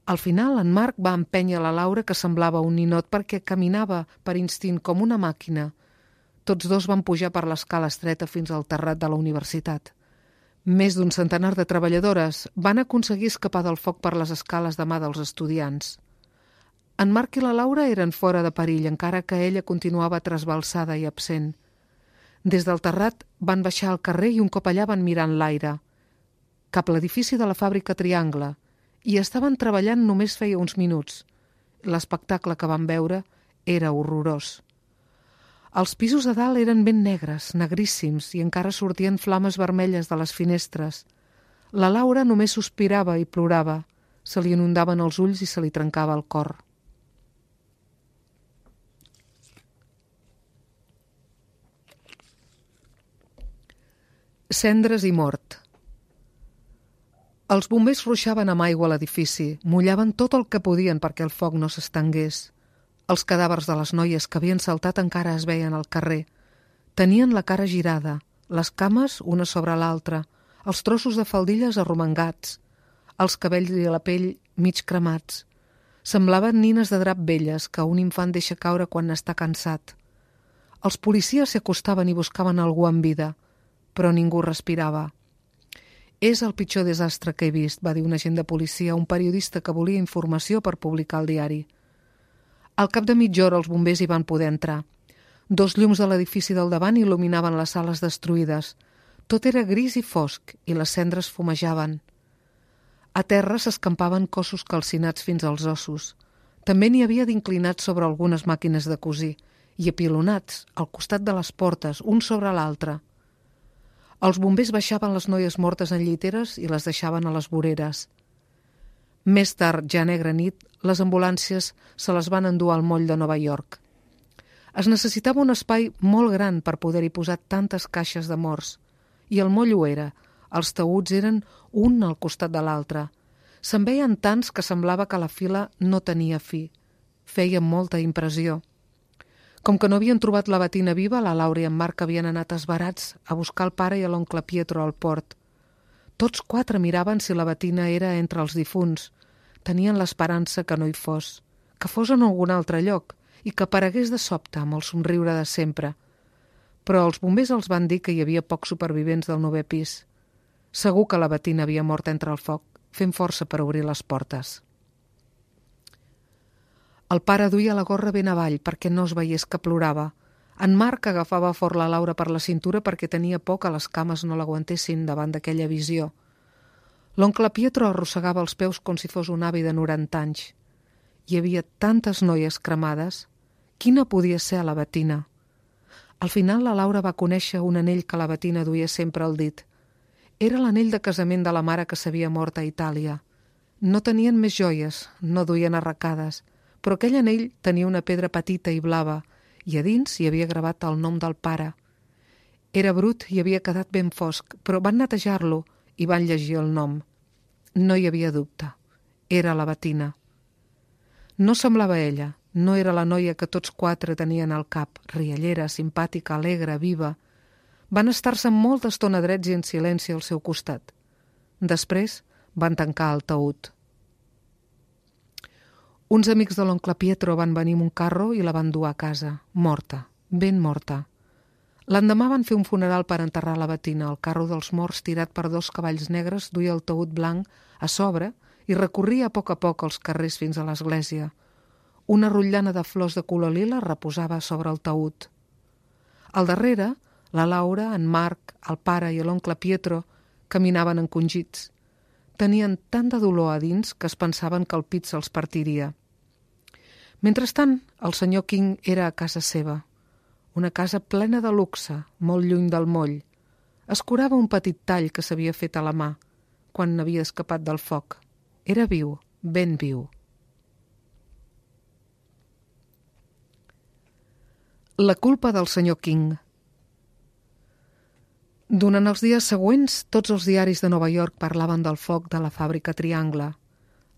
Al final, en Marc va empènyer la Laura, que semblava un ninot perquè caminava per instint com una màquina. Tots dos van pujar per l'escala estreta fins al terrat de la universitat. Més d'un centenar de treballadores van aconseguir escapar del foc per les escales de mà dels estudiants. En Marc i la Laura eren fora de perill, encara que ella continuava trasbalsada i absent. Des del terrat van baixar al carrer i un cop allà van mirar enlaire, cap a l'edifici de la fàbrica Triangle, i estaven treballant només feia uns minuts. L'espectacle que van veure era horrorós. Els pisos de dalt eren ben negres, negríssims, i encara sortien flames vermelles de les finestres. La Laura només sospirava i plorava. Se li inundaven els ulls i se li trencava el cor. Cendres i mort. Els bombers ruixaven amb aigua a l'edifici, mullaven tot el que podien perquè el foc no s'estengués. Els cadàvers de les noies que havien saltat encara es veien al carrer. Tenien la cara girada, les cames una sobre l'altra, els trossos de faldilles arromangats, els cabells i la pell mig cremats. Semblaven nines de drap velles que un infant deixa caure quan n'està cansat. Els policies s'hi acostaven i buscaven algú amb vida, però ningú respirava. «És el pitjor desastre que he vist», va dir un agent de policia a un periodista que volia informació per publicar al diari. Al cap de mitja hora els bombers hi van poder entrar. Dos llums de l'edifici del davant il·luminaven les sales destruïdes. Tot era gris i fosc i les cendres fumejaven. A terra s'escampaven cossos calcinats fins als ossos. També n'hi havia d'inclinats sobre algunes màquines de cosir i apilonats al costat de les portes, un sobre l'altre. Els bombers baixaven les noies mortes en lliteres i les deixaven a les voreres. Més tard, ja negra nit, les ambulàncies se les van endur al moll de Nova York. Es necessitava un espai molt gran per poder-hi posar tantes caixes de morts. I el moll ho era. Els taüts eren un al costat de l'altre. Se'n veien tants que semblava que la fila no tenia fi. Feia molta impressió. Com que no havien trobat la Bettina viva, la Laura i en Marc havien anat esverats a buscar el pare i a l'oncle Pietro al port. Tots quatre miraven si la Bettina era entre els difunts. Tenien l'esperança que no hi fos, que fos en algun altre lloc i que aparegués de sobte amb el somriure de sempre. Però els bombers els van dir que hi havia pocs supervivents del novè pis. Segur que la Bettina havia mort entre el foc, fent força per obrir les portes. El pare duia la gorra ben avall perquè no es veiés que plorava. En Marc agafava fort la Laura per la cintura perquè tenia por que les cames no l'aguantessin davant d'aquella visió. L'oncle Pietro arrossegava els peus com si fos un avi de noranta anys. Hi havia tantes noies cremades. Quina podia ser la Bettina? Al final la Laura va conèixer un anell que la Bettina duia sempre al dit. Era l'anell de casament de la mare que s'havia mort a Itàlia. No tenien més joies, no duien arracades, però aquell anell tenia una pedra petita i blava i a dins hi havia gravat el nom del pare. Era brut i havia quedat ben fosc, però van netejar-lo i van llegir el nom. No hi havia dubte. Era la Bettina. No semblava ella, no era la noia que tots quatre tenien al cap, riallera, simpàtica, alegre, viva. Van estar-se molta estona drets i en silenci al seu costat. Després van tancar el taüt. Uns amics de l'oncle Pietro van venir amb un carro i la van dur a casa, morta, ben morta. L'endemà van fer un funeral per enterrar la Bettina. El carro dels morts, tirat per dos cavalls negres, duia el taüt blanc a sobre i recorria a poc a poc els carrers fins a l'església. Una rotllana de flors de color lila reposava sobre el taüt. Al darrere, la Laura, en Marc, el pare i l'oncle Pietro caminaven encongits. Tenien tant de dolor a dins que es pensaven que el pit se'ls partiria. Mentrestant, el senyor King era a casa seva. Una casa plena de luxe, molt lluny del moll. Es curava un petit tall que s'havia fet a la mà, quan n'havia escapat del foc. Era viu, ben viu. La culpa del senyor King. Durant els dies següents, tots els diaris de Nova York parlaven del foc de la fàbrica Triangle.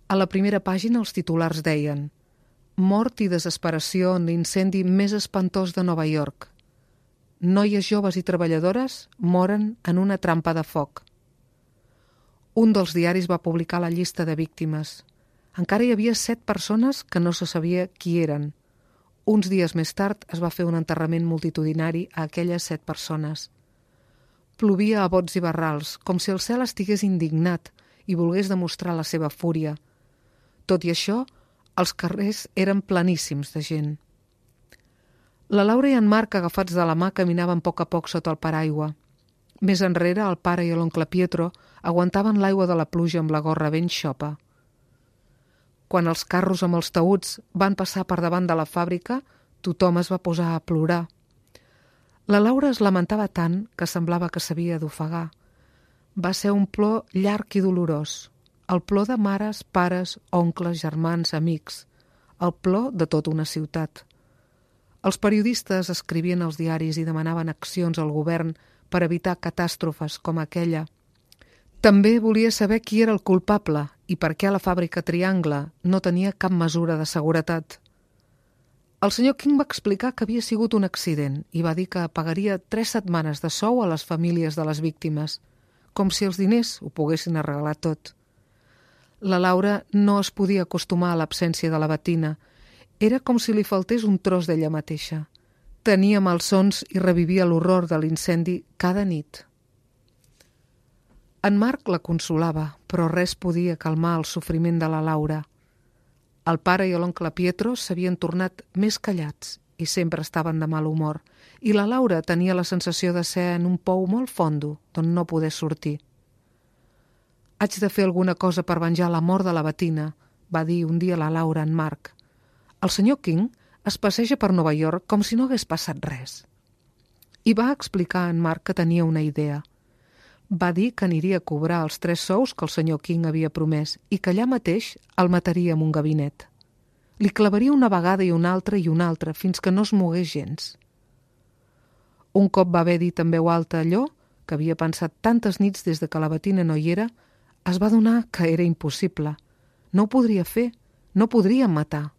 A la primera pàgina els titulars deien «Mort i desesperació en l'incendi més espantós de Nova York. Noies joves i treballadores moren en una trampa de foc». Un dels diaris va publicar la llista de víctimes. Encara hi havia set persones que no se sabia qui eren. Uns dies més tard es va fer un enterrament multitudinari a aquelles set persones. Plovia a bots i barrals, com si el cel estigués indignat i volgués demostrar la seva fúria. Tot i això, els carrers eren pleníssims de gent. La Laura i en Marc, agafats de la mà, caminaven a poc a poc sota el paraigua. Més enrere, el pare i l'oncle Pietro aguantaven l'aigua de la pluja amb la gorra ben xopa. Quan els carros amb els taüts van passar per davant de la fàbrica, tothom es va posar a plorar. La Laura es lamentava tant que semblava que s'havia d'ofegar. Va ser un plor llarg i dolorós. El plor de mares, pares, oncles, germans, amics. El plor de tota una ciutat. Els periodistes escrivien als diaris i demanaven accions al govern per evitar catàstrofes com aquella. També volia saber qui era el culpable i per què la fàbrica Triangle no tenia cap mesura de seguretat. El senyor King va explicar que havia sigut un accident i va dir que pagaria tres setmanes de sou a les famílies de les víctimes, com si els diners ho poguessin arreglar tot. La Laura no es podia acostumar a l'absència de la Bettina. Era com si li faltés un tros d'ella mateixa. Tenia malsons i revivia l'horror de l'incendi cada nit. En Marc la consolava, però res podia calmar el sofriment de la Laura. El pare i l'oncle Pietro s'havien tornat més callats i sempre estaven de mal humor, i la Laura tenia la sensació de ser en un pou molt fondo d'on no poder sortir. «Haig de fer alguna cosa per venjar la mort de la Bettina», va dir un dia la Laura a en Marc. «El senyor King es passeja per Nova York com si no hagués passat res». I va explicar a en Marc que tenia una idea. Va dir que aniria a cobrar els tres sous que el senyor King havia promès i que allà mateix el mataria en un gabinet. Li clavaria una vegada i una altra i una altra fins que no es mogués gens. Un cop va haver dit en veu alta allò que havia pensat tantes nits des de que la Bettina no hi era, es va adonar que era impossible. No ho podria fer, no podria matar.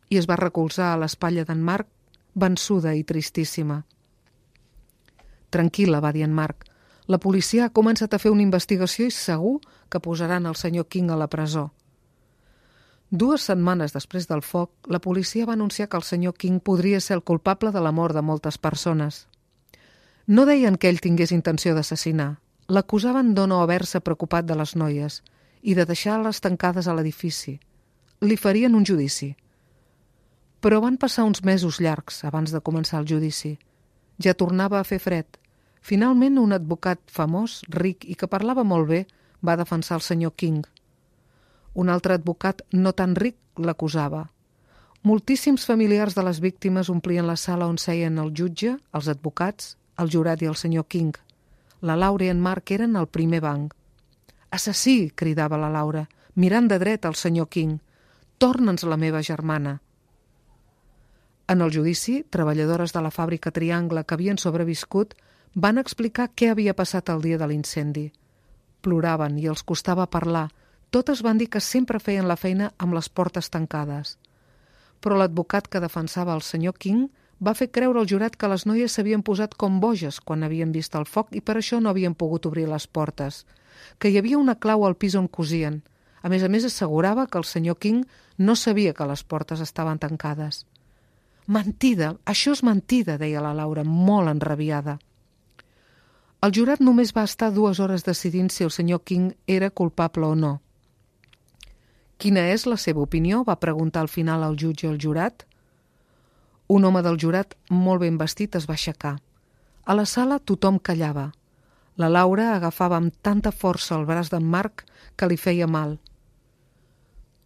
I es va recolzar a l'espatlla d'en Marc, vençuda i tristíssima. «Tranquil·la», va dir en Marc. «La policia ha començat a fer una investigació i segur que posaran el senyor King a la presó». Dues setmanes després del foc, la policia va anunciar que el senyor King podria ser el culpable de la mort de moltes persones. No deien que ell tingués intenció d'assassinar. L'acusaven de no haver-se preocupat de les noies i de deixar-les tancades a l'edifici. Li farien un judici. Però van passar uns mesos llargs abans de començar el judici. Ja tornava a fer fred. Finalment, un advocat famós, ric i que parlava molt bé, va defensar el senyor King. Un altre advocat no tan ric l'acusava. Moltíssims familiars de les víctimes omplien la sala on seien el jutge, els advocats, el jurat i el senyor King. La Laura i en Marc eren al primer banc. «Assassí!», cridava la Laura, mirant de dret al senyor King. «Torna'ns la meva germana!» En el judici, treballadores de la fàbrica Triangle que havien sobreviscut van explicar què havia passat el dia de l'incendi. Ploraven i els costava parlar. Totes van dir que sempre feien la feina amb les portes tancades. Però l'advocat que defensava el senyor King va fer creure al jurat que les noies s'havien posat com boges quan havien vist el foc i per això no havien pogut obrir les portes, que hi havia una clau al pis on cosien. A més a més, assegurava que el senyor King no sabia que les portes estaven tancades. «Mentida, això és mentida», deia la Laura, molt enrabiada. El jurat només va estar dues hores decidint si el senyor King era culpable o no. «Quina és la seva opinió?», va preguntar al final el jutge al jurat. Un home del jurat, molt ben vestit, es va aixecar. A la sala tothom callava. La Laura agafava amb tanta força el braç d'en Marc que li feia mal.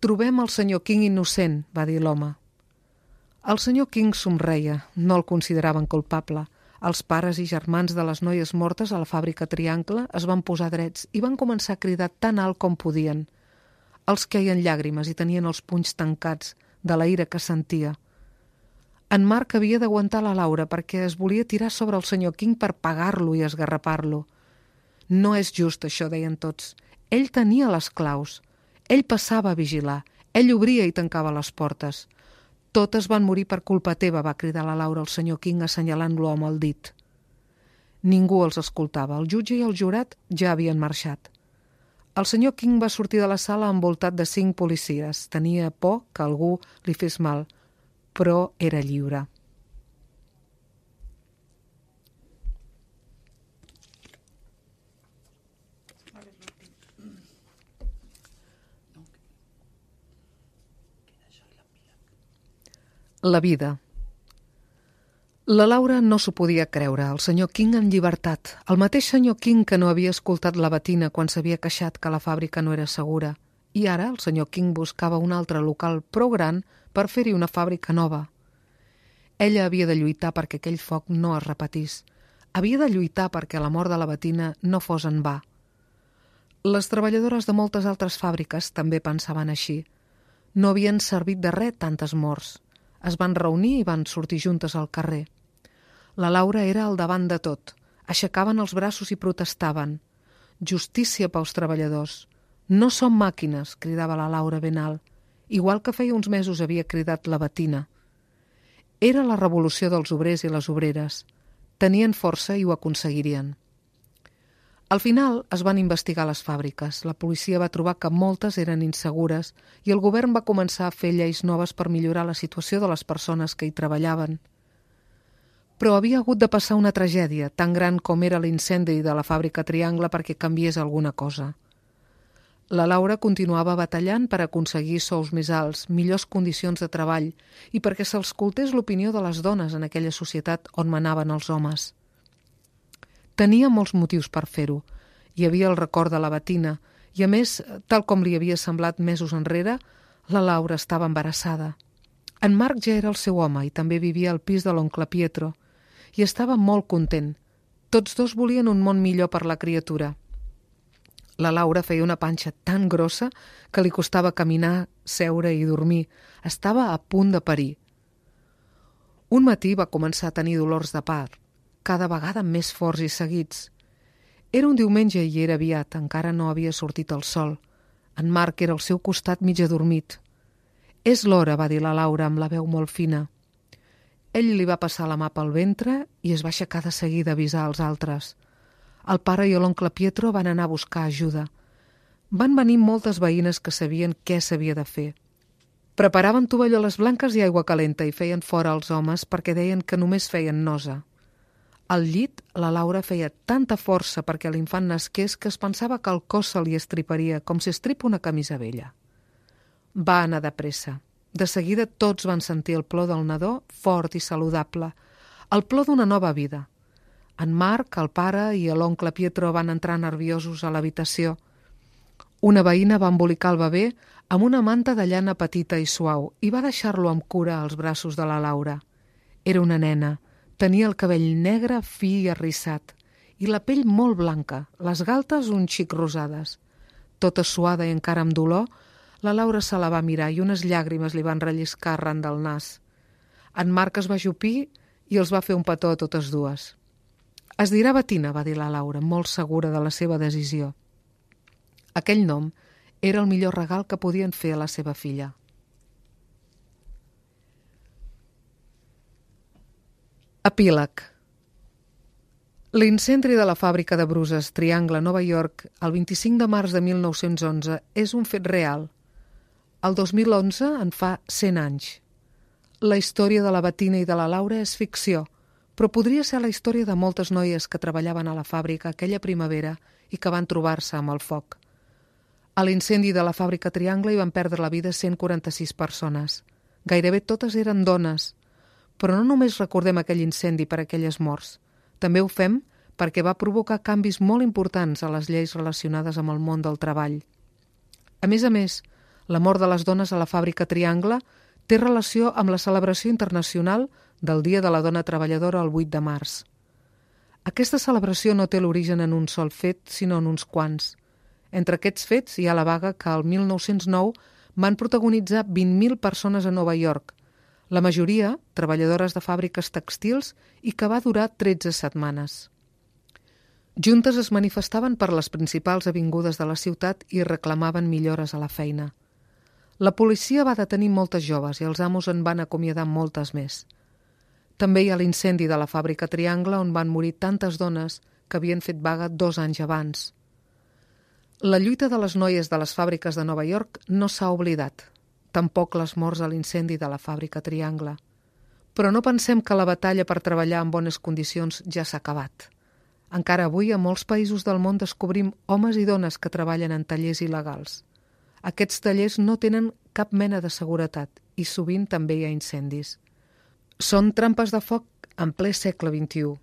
«Trobem el senyor King innocent», va dir l'home. El senyor King somreia, no el consideraven culpable. Els pares i germans de les noies mortes a la fàbrica Triangle es van posar drets i van començar a cridar tan alt com podien. Els queien llàgrimes i tenien els punys tancats de la ira que sentia. En Marc havia d'aguantar la Laura perquè es volia tirar sobre el senyor King per pagar-lo i esgarrapar-lo. «No és just això», deien tots. «Ell tenia les claus. Ell passava a vigilar. Ell obria i tancava les portes. Totes van morir per culpa teva», va cridar la Laura al senyor King assenyalant-lo amb el dit. Ningú els escoltava. El jutge i el jurat ja havien marxat. El senyor King va sortir de la sala envoltat de cinc policies. Tenia por que algú li fes mal, però era lliure. La vida. La Laura no s'ho podia creure, el senyor King en llibertat, el mateix senyor King que no havia escoltat la Bettina quan s'havia queixat que la fàbrica no era segura, i ara el senyor King buscava un altre local prou gran per fer-hi una fàbrica nova. Ella havia de lluitar perquè aquell foc no es repetís. Havia de lluitar perquè la mort de la Bettina no fos en va. Les treballadores de moltes altres fàbriques també pensaven així. No havien servit de res tantes morts. Es van reunir i van sortir juntes al carrer. La Laura era al davant de tot. Aixecaven els braços i protestaven. justícia pels treballadors. No som màquines, cridava la Laura ben alt, igual que feia uns mesos havia cridat la Bettina. Era la revolució dels obrers i les obreres. Tenien força i ho aconseguirien. Al final es van investigar les fàbriques. La policia va trobar que moltes eren insegures i el govern va començar a fer lleis noves per millorar la situació de les persones que hi treballaven. Però havia hagut de passar una tragèdia tan gran com era l'incendi de la fàbrica Triangle perquè canviés alguna cosa. La Laura continuava batallant per aconseguir sous més alts, millors condicions de treball i perquè s'escoltés l'opinió de les dones en aquella societat on manaven els homes. Tenia molts motius per fer-ho. Hi havia el record de la Bettina i, a més, tal com li havia semblat mesos enrere, la Laura estava embarassada. En Marc ja era el seu home i també vivia al pis de l'oncle Pietro i estava molt content. Tots dos volien un món millor per la criatura. La Laura feia una panxa tan grossa que li costava caminar, seure i dormir. Estava a punt de parir. Un matí va començar a tenir dolors de part, cada vegada més forts i seguits. Era un diumenge i era aviat, encara no havia sortit el sol. En Marc era al seu costat mig adormit. «És l'hora», va dir la Laura amb la veu molt fina. Ell li va passar la mà pel ventre i es va aixecar de seguida a avisar els altres. El pare i l'oncle Pietro van anar a buscar ajuda. Van venir moltes veïnes que sabien què s'havia de fer. Preparaven tovalloles blanques i aigua calenta i feien fora els homes perquè deien que només feien nosa. Al llit, la Laura feia tanta força perquè l'infant nasqués que es pensava que el cos se li estriparia, com si estripa una camisa vella. Va anar de pressa. De seguida tots van sentir el plor del nadó, fort i saludable, el plor d'una nova vida. En Marc, el pare i l'oncle Pietro van entrar nerviosos a l'habitació. Una veïna va embolicar el bebè amb una manta de llana petita i suau i va deixar-lo amb cura als braços de la Laura. Era una nena. Tenia el cabell negre, fi i arrissat, i la pell molt blanca, les galtes un xic rosades. Tota suada i encara amb dolor, la Laura se la va mirar i unes llàgrimes li van relliscar arran del nas. En Marc es va ajupir i els va fer un petó a totes dues. «Es dirà Bettina», va dir la Laura, molt segura de la seva decisió. Aquell nom era el millor regal que podien fer a la seva filla. Epíleg. L'incendi de la fàbrica de bruses Triangle, Nova York, el vint-i-cinc de març de mil nou-cents onze, és un fet real. El dos mil onze en fa cent anys. La història de la Bettina i de la Laura és ficció, però podria ser la història de moltes noies que treballaven a la fàbrica aquella primavera i que van trobar-se amb el foc. A l'incendi de la fàbrica Triangle hi van perdre la vida cent quaranta-sis persones. Gairebé totes eren dones. Però no només recordem aquell incendi per aquelles morts. També ho fem perquè va provocar canvis molt importants a les lleis relacionades amb el món del treball. A més a més, la mort de les dones a la fàbrica Triangle té relació amb la celebració internacional del Dia de la Dona Treballadora el vuit de març. Aquesta celebració no té l'origen en un sol fet, sinó en uns quants. Entre aquests fets hi ha la vaga que el mil nou-cents nou van protagonitzar vint mil persones a Nova York, la majoria treballadores de fàbriques tèxtils i que va durar tretze setmanes. Juntes es manifestaven per les principals avingudes de la ciutat i reclamaven millores a la feina. La policia va detenir moltes joves i els amos en van acomiadar moltes més. També hi ha l'incendi de la fàbrica Triangle on van morir tantes dones que havien fet vaga dos anys abans. La lluita de les noies de les fàbriques de Nova York no s'ha oblidat. Tampoc les morts a l'incendi de la fàbrica Triangle. Però no pensem que la batalla per treballar en bones condicions ja s'ha acabat. Encara avui a molts països del món descobrim homes i dones que treballen en tallers il·legals. Aquests tallers no tenen cap mena de seguretat i sovint també hi ha incendis. Són trampes de foc en ple segle vint-i-u.